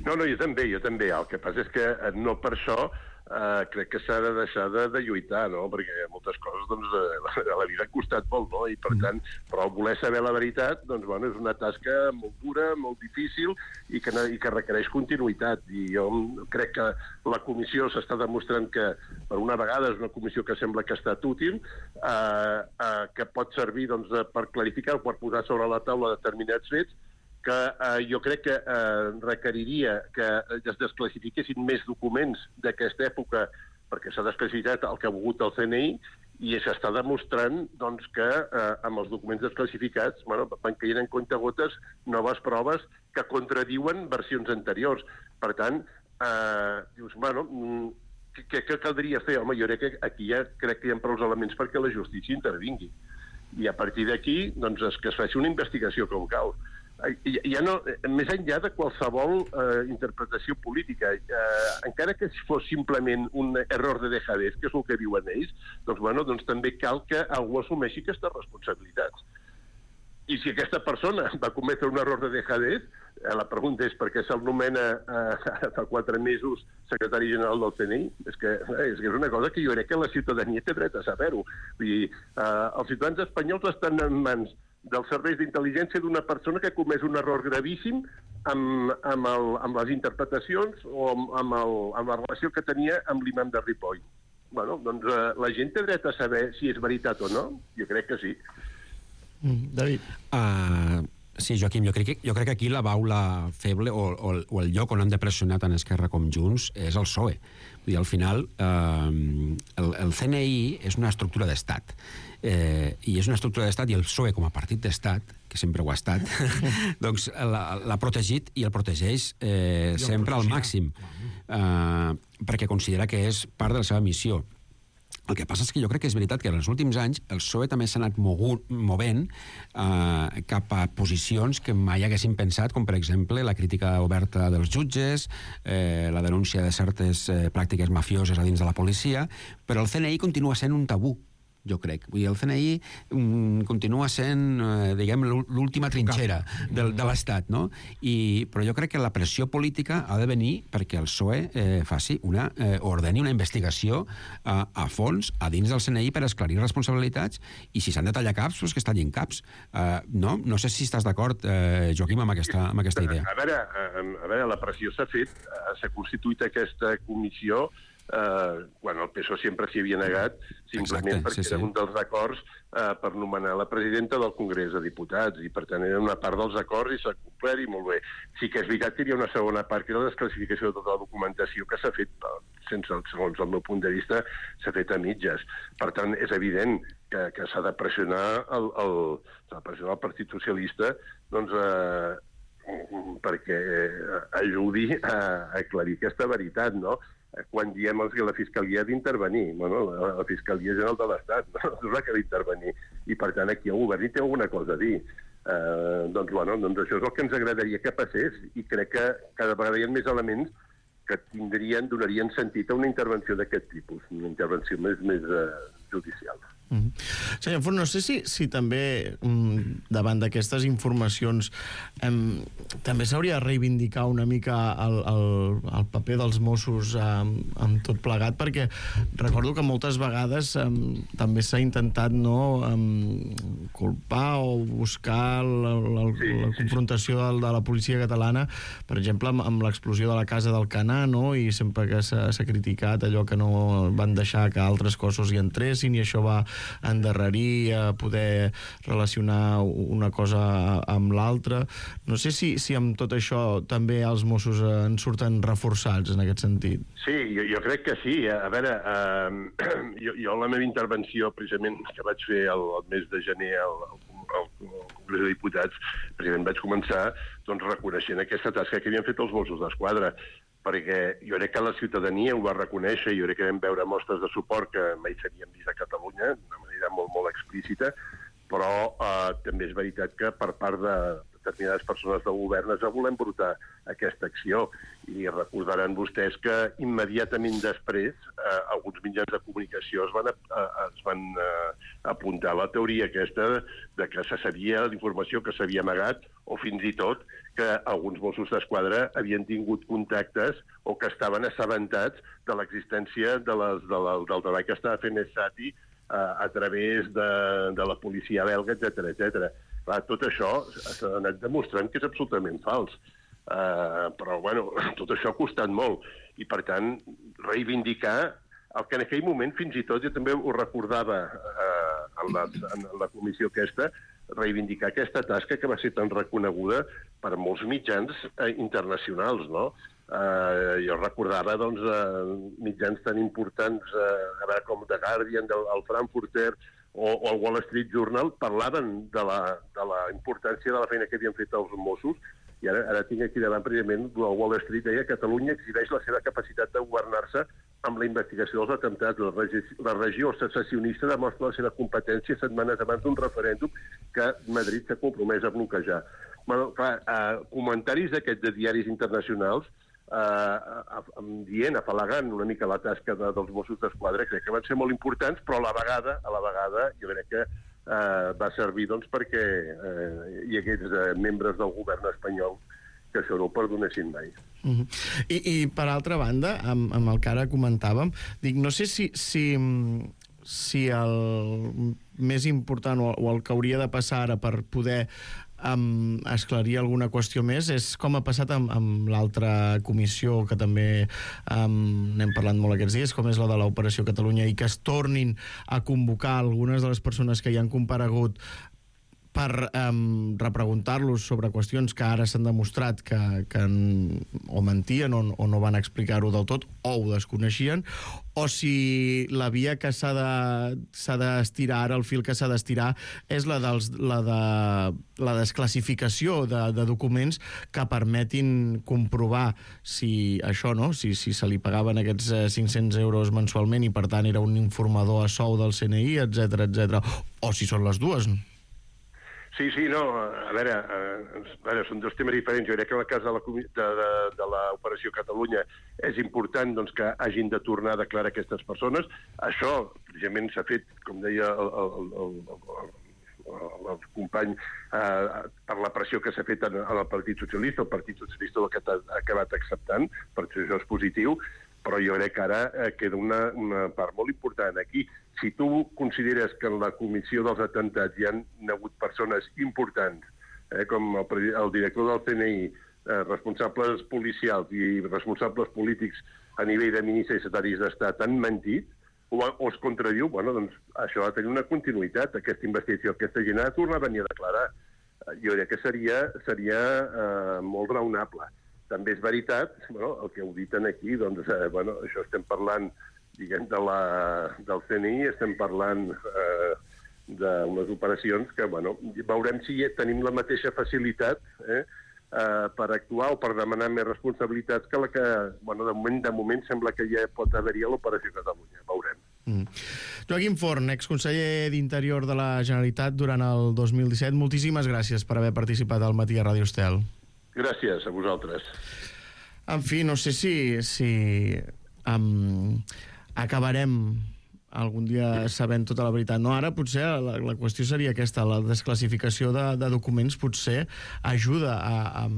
No, jo també. El que passa és que no per això crec que s'ha de deixar de lluitar, no? Perquè moltes coses, doncs, a la vida han costat molt, no? I, per tant, però voler saber la veritat, doncs, bueno, és una tasca molt dura, molt difícil, i que requereix continuïtat. I jo crec que la comissió s'està demostrant que, per una vegada, és una comissió que sembla que ha estat útil, que pot servir, doncs, per clarificar o per posar sobre la taula determinats fets, que jo crec que requeriria que es desclassifiquessin més documents d'aquesta època, perquè s'ha desclassificat el que ha volgut el CNI, i s'està demostrant, doncs, que amb els documents desclassificats van caient en comptagotes noves proves que contradiuen versions anteriors. Per tant, dius, què caldria fer? Home, jo crec que aquí ja crec que hi ha prou elements perquè la justícia intervingui. I a partir d'aquí, doncs, que es faci una investigació com cal. Ja no, més enllà de qualsevol interpretació política, encara que fos simplement un error de dejadez, que és el que diuen ells, doncs també cal que algú assumeixi aquestes responsabilitats. I si aquesta persona va cometre un error de dejadez, la pregunta és per què se'l nomena fa 4 mesos secretari general del CNI? És que és una cosa que jo crec que la ciutadania té dret a saber-ho. Vull dir, els ciutadans espanyols estan en mans dels serveis d'intel·ligència d'una persona que ha comès un error gravíssim amb les interpretacions o amb la relació que tenia amb l'imam de Ripoll. Doncs la gent té dret a saber si és veritat o no? Jo crec que sí. David. Sí, Joaquim, jo crec que aquí la baula feble o el lloc on han de pressionar tant Esquerra com Junts és el PSOE. Vull dir, al final, el CNI és una estructura d'estat. I és una estructura d'estat, i el PSOE com a partit d'estat, que sempre ho ha estat, doncs l'ha protegit i el protegeix sempre al màxim, perquè considera que és part de la seva missió. El que passa és que jo crec que és veritat que en els últims anys el PSOE també s'ha anat movent cap a posicions que mai haguessin pensat, com per exemple la crítica oberta dels jutges, la denúncia de certes pràctiques mafioses a dins de la policia, però el CNI continua sent un tabú, jo crec. Vull dir, el CNI continua sent, diguem, l'última trinxera de l'Estat, no? Però jo crec que la pressió política ha de venir perquè el PSOE ordeni una investigació a fons a dins del CNI per esclarir responsabilitats, i si s'han de tallar caps, doncs que es tallin caps. No sé si estàs d'acord, Joaquim, amb aquesta idea. A veure, la pressió s'ha fet, s'ha constituït aquesta comissió quan el PSOE sempre s'hi havia negat, simplement perquè era un dels acords per nomenar la presidenta del Congrés de Diputats, i per tant era una part dels acords i s'ha complert, i molt bé. Sí que és veritat que hi ha una segona part, que és la desclassificació de tota la documentació, que s'ha fet, segons el meu punt de vista, s'ha fet a mitges. Per tant, és evident que s'ha de pressionar el Partit Socialista, doncs, perquè ajudi a aclarir aquesta veritat, no? Quan diem que la Fiscalia ha d'intervenir, la Fiscalia General de l'Estat no és la que ha d'intervenir, i per tant aquí el govern hi té alguna cosa a dir. Doncs això és el que ens agradaria que passés, i crec que cada vegada hi ha més elements que donarien sentit a una intervenció d'aquest tipus, una intervenció més judicial. Senyor Forn, no sé si també davant d'aquestes informacions també s'hauria de reivindicar una mica el paper dels Mossos amb tot plegat, perquè recordo que moltes vegades també s'ha intentat culpar o buscar la confrontació de la policia catalana, per exemple amb l'explosió de la casa d'Alcanar, i sempre que s'ha criticat allò que no van deixar que altres cossos hi entressin, i això va endarrerir, a poder relacionar una cosa amb l'altra. No sé si amb tot això també els Mossos en surten reforçats en aquest sentit. Sí, jo crec que sí. A veure, jo la meva intervenció, precisament, que vaig fer el mes de gener al Congrés de Diputats, precisament vaig començar reconeixent aquesta tasca que havien fet els Mossos d'Esquadra, perquè jo crec que la ciutadania ho va reconèixer, jo crec que vam veure mostres de suport que mai s'havien vist a Catalunya, d'una manera molt, molt explícita, però també és veritat que per part de determinades persones del govern es va voler embrutar aquesta acció, i recordaran vostès que immediatament després alguns mitjans de comunicació es van apuntar a la teoria aquesta de que se sabia l'informació que s'havia amagat, o fins i tot que alguns Mossos d'Esquadra havien tingut contactes o que estaven assabentats de l'existència del treball que estava fent Esati a través de la policia belga, etc. Clar, tot això s'ha anat demostrant que és absolutament fals. Però, bueno, tot això ha costat molt. I, per tant, reivindicar el que en aquell moment, fins i tot, jo també ho recordava en la comissió aquesta, reivindicar aquesta tasca que va ser tan reconeguda per molts mitjans internacionals, no? Jo recordava, doncs, mitjans tan importants com The Guardian, el Frankfurter o el Wall Street Journal parlaven de la importància de la feina que havien fet els Mossos, i ara tinc aquí davant, precisament, el Wall Street deia que Catalunya exhibeix la seva capacitat de governar-se amb la investigació dels atemptats. La regió secessionista demostra la seva competència setmanes abans d'un referèndum que Madrid s'ha compromès a bloquejar. Bueno, clar, comentaris d'aquests de diaris internacionals afalagant una mica la tasca dels Mossos d'Esquadra, crec que van ser molt importants, però a la vegada jo crec que va servir perquè hi hagués membres del govern espanyol que això no ho perdonessin mai. I per altra banda, amb el que ara comentàvem, no sé si el més important o el que hauria de passar ara per poder esclarir alguna qüestió més és com ha passat amb l'altra comissió que també n'hem parlat molt aquests dies, com és la de l'Operació Catalunya, i que es tornin a convocar algunes de les persones que hi han comparegut per repreguntar-los sobre qüestions que ara s'han demostrat que o mentien o no van explicar-ho del tot o ho desconeixien, o si la via que s'ha d'estirar, ara el fil que s'ha d'estirar és la desclassificació de documents que permetin comprovar si això, no? Si se li pagaven aquests 500 euros mensualment i per tant era un informador a sou del CNI, etc, o si són les dues. Sí, no, a veure, són dos temes diferents. Jo crec que en el cas de l'Operació Catalunya és important que hagin de tornar a declarar aquestes persones. Això, precisament, s'ha fet, com deia el company, per la pressió que s'ha fet al Partit Socialista. El Partit Socialista ha acabat acceptant, per això és positiu, però jo crec que ara queda una part molt important aquí. Si tu consideres que en la comissió dels atemptats hi han hagut persones importants, com el director del CNI, responsables policials i responsables polítics a nivell de ministres i secretaris d'Estat han mentit, o es contradiu, doncs això ha de tenir una continuïtat, aquesta investigació. Aquesta gent ha de tornar a venir a declarar. Jo crec que seria molt raonable. També és veritat, el que heu dit aquí, doncs, això estem parlant, diguem, del CNI, estem parlant d'unes operacions que, veurem si tenim la mateixa facilitat per actuar o per demanar més responsabilitats que la que, de moment sembla que ja pot haver-hi a l'Operació Catalunya. Veurem. Joaquim Forn, exconseller d'Interior de la Generalitat durant el 2017, moltíssimes gràcies per haver participat al Matí a Ràdio Estel. Gràcies a vosaltres. En fi, no sé si acabarem algun dia sabent tota la veritat. No, ara potser la qüestió seria aquesta, la desclassificació de documents potser ajuda a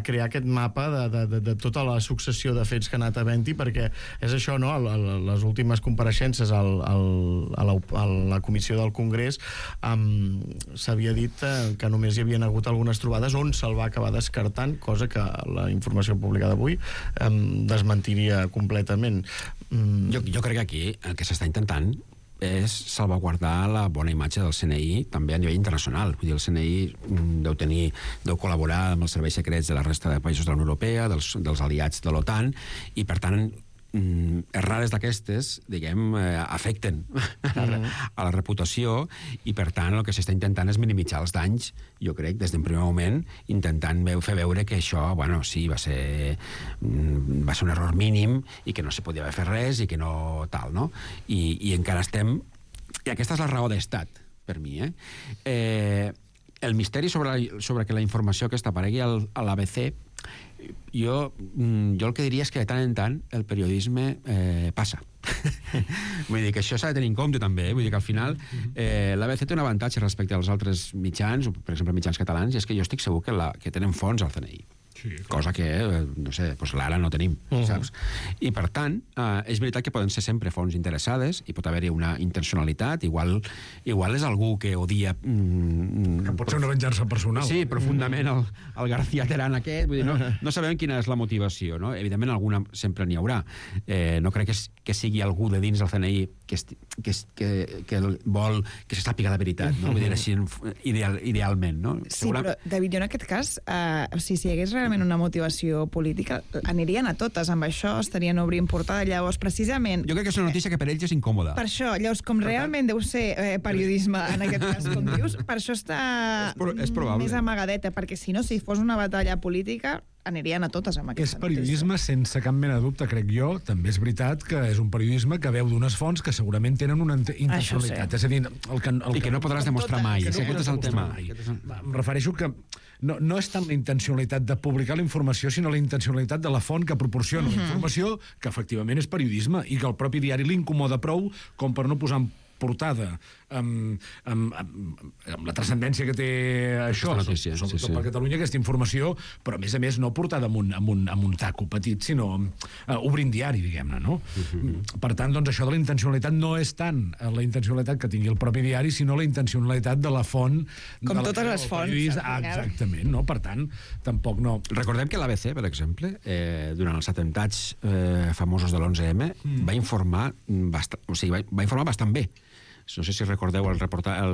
crear aquest mapa de tota la successió de fets que ha anat havent-hi, perquè és això, no? Les últimes compareixences a la comissió del Congrés s'havia dit que només hi havien hagut algunes trobades on se'l va acabar descartant, cosa que la informació publicada avui desmentiria completament. Jo crec que aquí el que s'està intentant és salvaguardar la bona imatge del CNI també a nivell internacional. Vull dir, el CNI deu col·laborar amb els serveis secrets de la resta de països de la Unió Europea, dels aliats de l'OTAN, i per tant errades d'aquestes, diguem, afecten a la reputació, i per tant el que s'està intentant és minimitzar els danys, jo crec, des d'un primer moment, intentant fer veure que això, bueno, sí, va ser un error mínim i que no se podia haver fet res i que no tal, no? I encara estem... I aquesta és la raó d'estat, per mi, el misteri sobre que la informació aquesta aparegui a l'ABC, jo el que diria és que de tant en tant el periodisme passa. Vull dir que això s'ha de tenir en compte també, vull dir que al final l'ABC té un avantatge respecte als altres mitjans, per exemple mitjans catalans, i és que jo estic segur que tenen fons al CNI. Sí, cosa que, no sé, doncs l'ara no tenim, saps? I per tant, és veritat que poden ser sempre fonts interessades i pot haver-hi una intencionalitat, igual és algú que odia... Que pot ser una venjança personal. Sí, profundament el García Terán aquest, vull dir, no sabem quina és la motivació, no? Evidentment alguna sempre n'hi haurà. No crec que sigui algú de dins del CNI que vol que se sàpiga la veritat, no? Vull dir, així idealment, no? Sí, però, David, jo en aquest cas, si hi hagués realment una motivació política, anirien a totes amb això, estarien obrint portada, llavors precisament... Jo crec que és una notícia que per ells és incòmoda. Per això, llavors, com realment deu ser periodisme en aquest cas, com dius, per això està més amagadeta, perquè si no, si fos una batalla política, anirien a totes amb aquesta notícia. És periodisme sense cap mena de dubte, crec jo. També és veritat que és un periodisme que veu d'unes fonts que segurament tenen una intencionalitat. És a dir, i que no podràs demostrar mai. Aquest és el tema. Em refereixo que no és tant la intencionalitat de publicar la informació, sinó la intencionalitat de la font que proporciona la informació, que efectivament és periodisme, i que el propi diari l'incomoda prou com per no posar en portada amb la transcendència que té això, sobretot per Catalunya, aquesta informació, però a més no portada amb un taco petit, sinó obrint diari, diguem-ne, no? Per tant, doncs això de la intencionalitat no és tant la intencionalitat que tingui el propi diari, sinó la intencionalitat de la font... Com totes les fonts. Exactament, no? Per tant, tampoc no... Recordem que l'ABC, per exemple, durant els atemptats famosos de l'11M, va informar bastant bé. No sé si recordeu el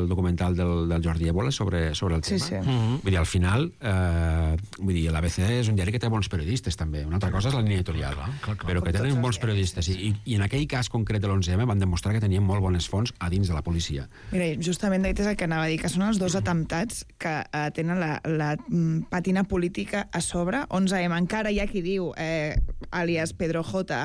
documental del Jordi Évole sobre el tema. Sí. Vull dir, al final, l'ABC és un diari que té bons periodistes, també. Una altra cosa és la línia editorial, però que tenen bons periodistes. I en aquell cas concret de l'11M van demostrar que tenien molt bones fonts a dins de la policia. Mira, justament és el que anava a dir, que són els dos atemptats que tenen la patina política a sobre. 11M, encara hi ha qui diu, àlies Pedro J,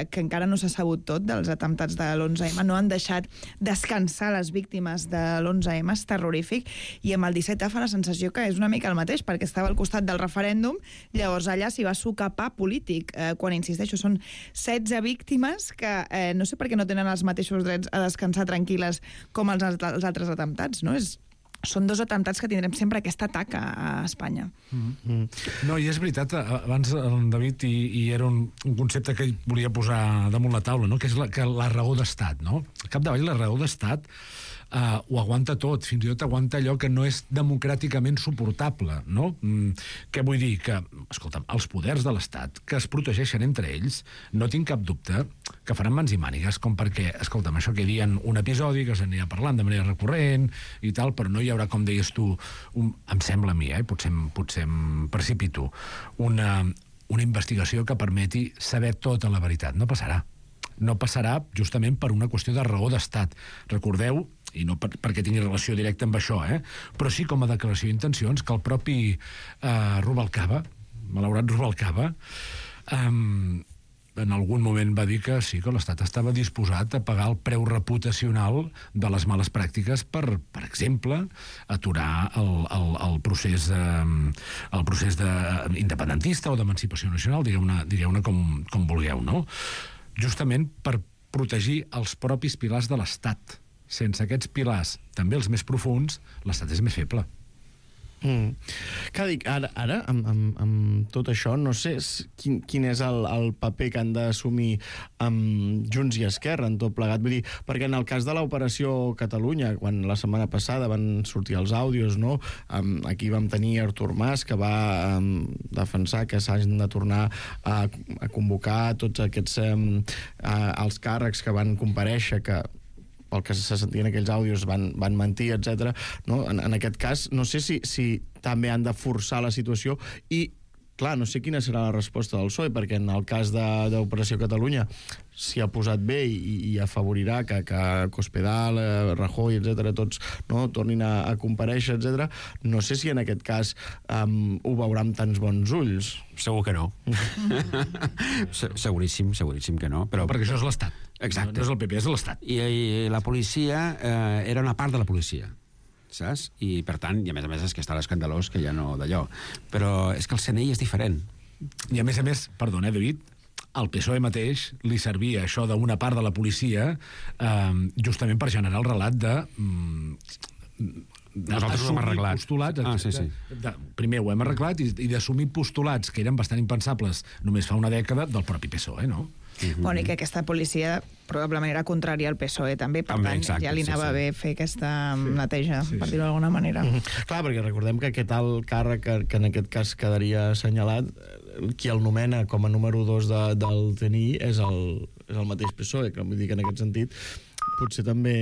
que encara no s'ha sabut tot dels atemptats de l'11M, no han deixat descansar les víctimes de l'11M, és terrorífic, i amb el 17 fa la sensació que és una mica el mateix, perquè estava al costat del referèndum, llavors allà s'hi va socapar polític, quan, insisteixo, són 16 víctimes que no sé per què no tenen els mateixos drets a descansar tranquil·les com els altres atemptats, no? Són dos atemptats que tindrem sempre aquesta taca a Espanya. No, i és veritat, abans el David, i era un concepte que ell volia posar damunt la taula, no? Que és la raó d'estat, no? Al capdavall, la raó d'estat ho aguanta tot, fins i tot aguanta allò que no és democràticament suportable, no? Què vull dir? Que, escolta'm, els poders de l'Estat, que es protegeixen entre ells, no tinc cap dubte que faran mans i mànigues, com perquè, escolta'm, això que dien un episodi que s'anirà parlant de manera recurrent i tal, però no hi haurà, com deies tu, em sembla a mi, potser em precipito, una investigació que permeti saber tota la veritat. No passarà. No passarà justament per una qüestió de raó d'estat. Recordeu, i no perquè tingui relació directa amb això, però sí com a declaració d'intencions, que el propi Rubalcaba, malaurat Rubalcaba, en algun moment va dir que sí, que l'Estat estava disposat a pagar el preu reputacional de les males pràctiques per exemple, aturar el procés independentista o d'emancipació nacional, digueu-ne com vulgueu, no? Justament per protegir els propis pilars de l'Estat. Sense aquests pilars, també els més profuns, l'Estat és més feble. Que dic, ara amb tot això, no sé quin és el paper que han d'assumir Junts i Esquerra en tot plegat. Vull dir, perquè en el cas de l'Operació Catalunya, quan la setmana passada van sortir els àudios, no? Aquí vam tenir Artur Mas, que va defensar que s'hagin de tornar a convocar tots aquests els càrrecs que van comparèixer, que pel que se sentien aquells àudios, van mentir, etc. No? En aquest cas, no sé si també han de forçar la situació i clar, no sé quina serà la resposta del PSOE, perquè en el cas d'Operació Catalunya s'hi ha posat bé i afavorirà que Cospedal, Rajoy, etc., tots tornin a comparèixer, etc. No sé si en aquest cas ho veurà amb tants bons ulls. Segur que no. Seguríssim que no. Però perquè això és l'Estat. Exacte. No és el PP, és l'Estat. I la policia era una part de la policia, saps? I, per tant, i a més és que està l'escandalós, que ja no d'allò. Però és que el CNI és diferent. I a més, perdona, David, al PSOE mateix li servia això d'una part de la policia justament per generar el relat de... Nosaltres ho hem arreglat. Postulats, sí. Primer ho hem arreglat i d'assumir postulats que eren bastant impensables només fa una dècada del propi PSOE, no? Bueno, i que aquesta policia probablement era contrària al PSOE també, per tant, exacte, ja li anava bé fer aquesta neteja, per dir-ho d'alguna manera. Clar, perquè recordem que aquest alt càrrec que en aquest cas quedaria assenyalat, qui el nomena com a número 2 del CNI és el mateix PSOE, que vull dir que en aquest sentit potser també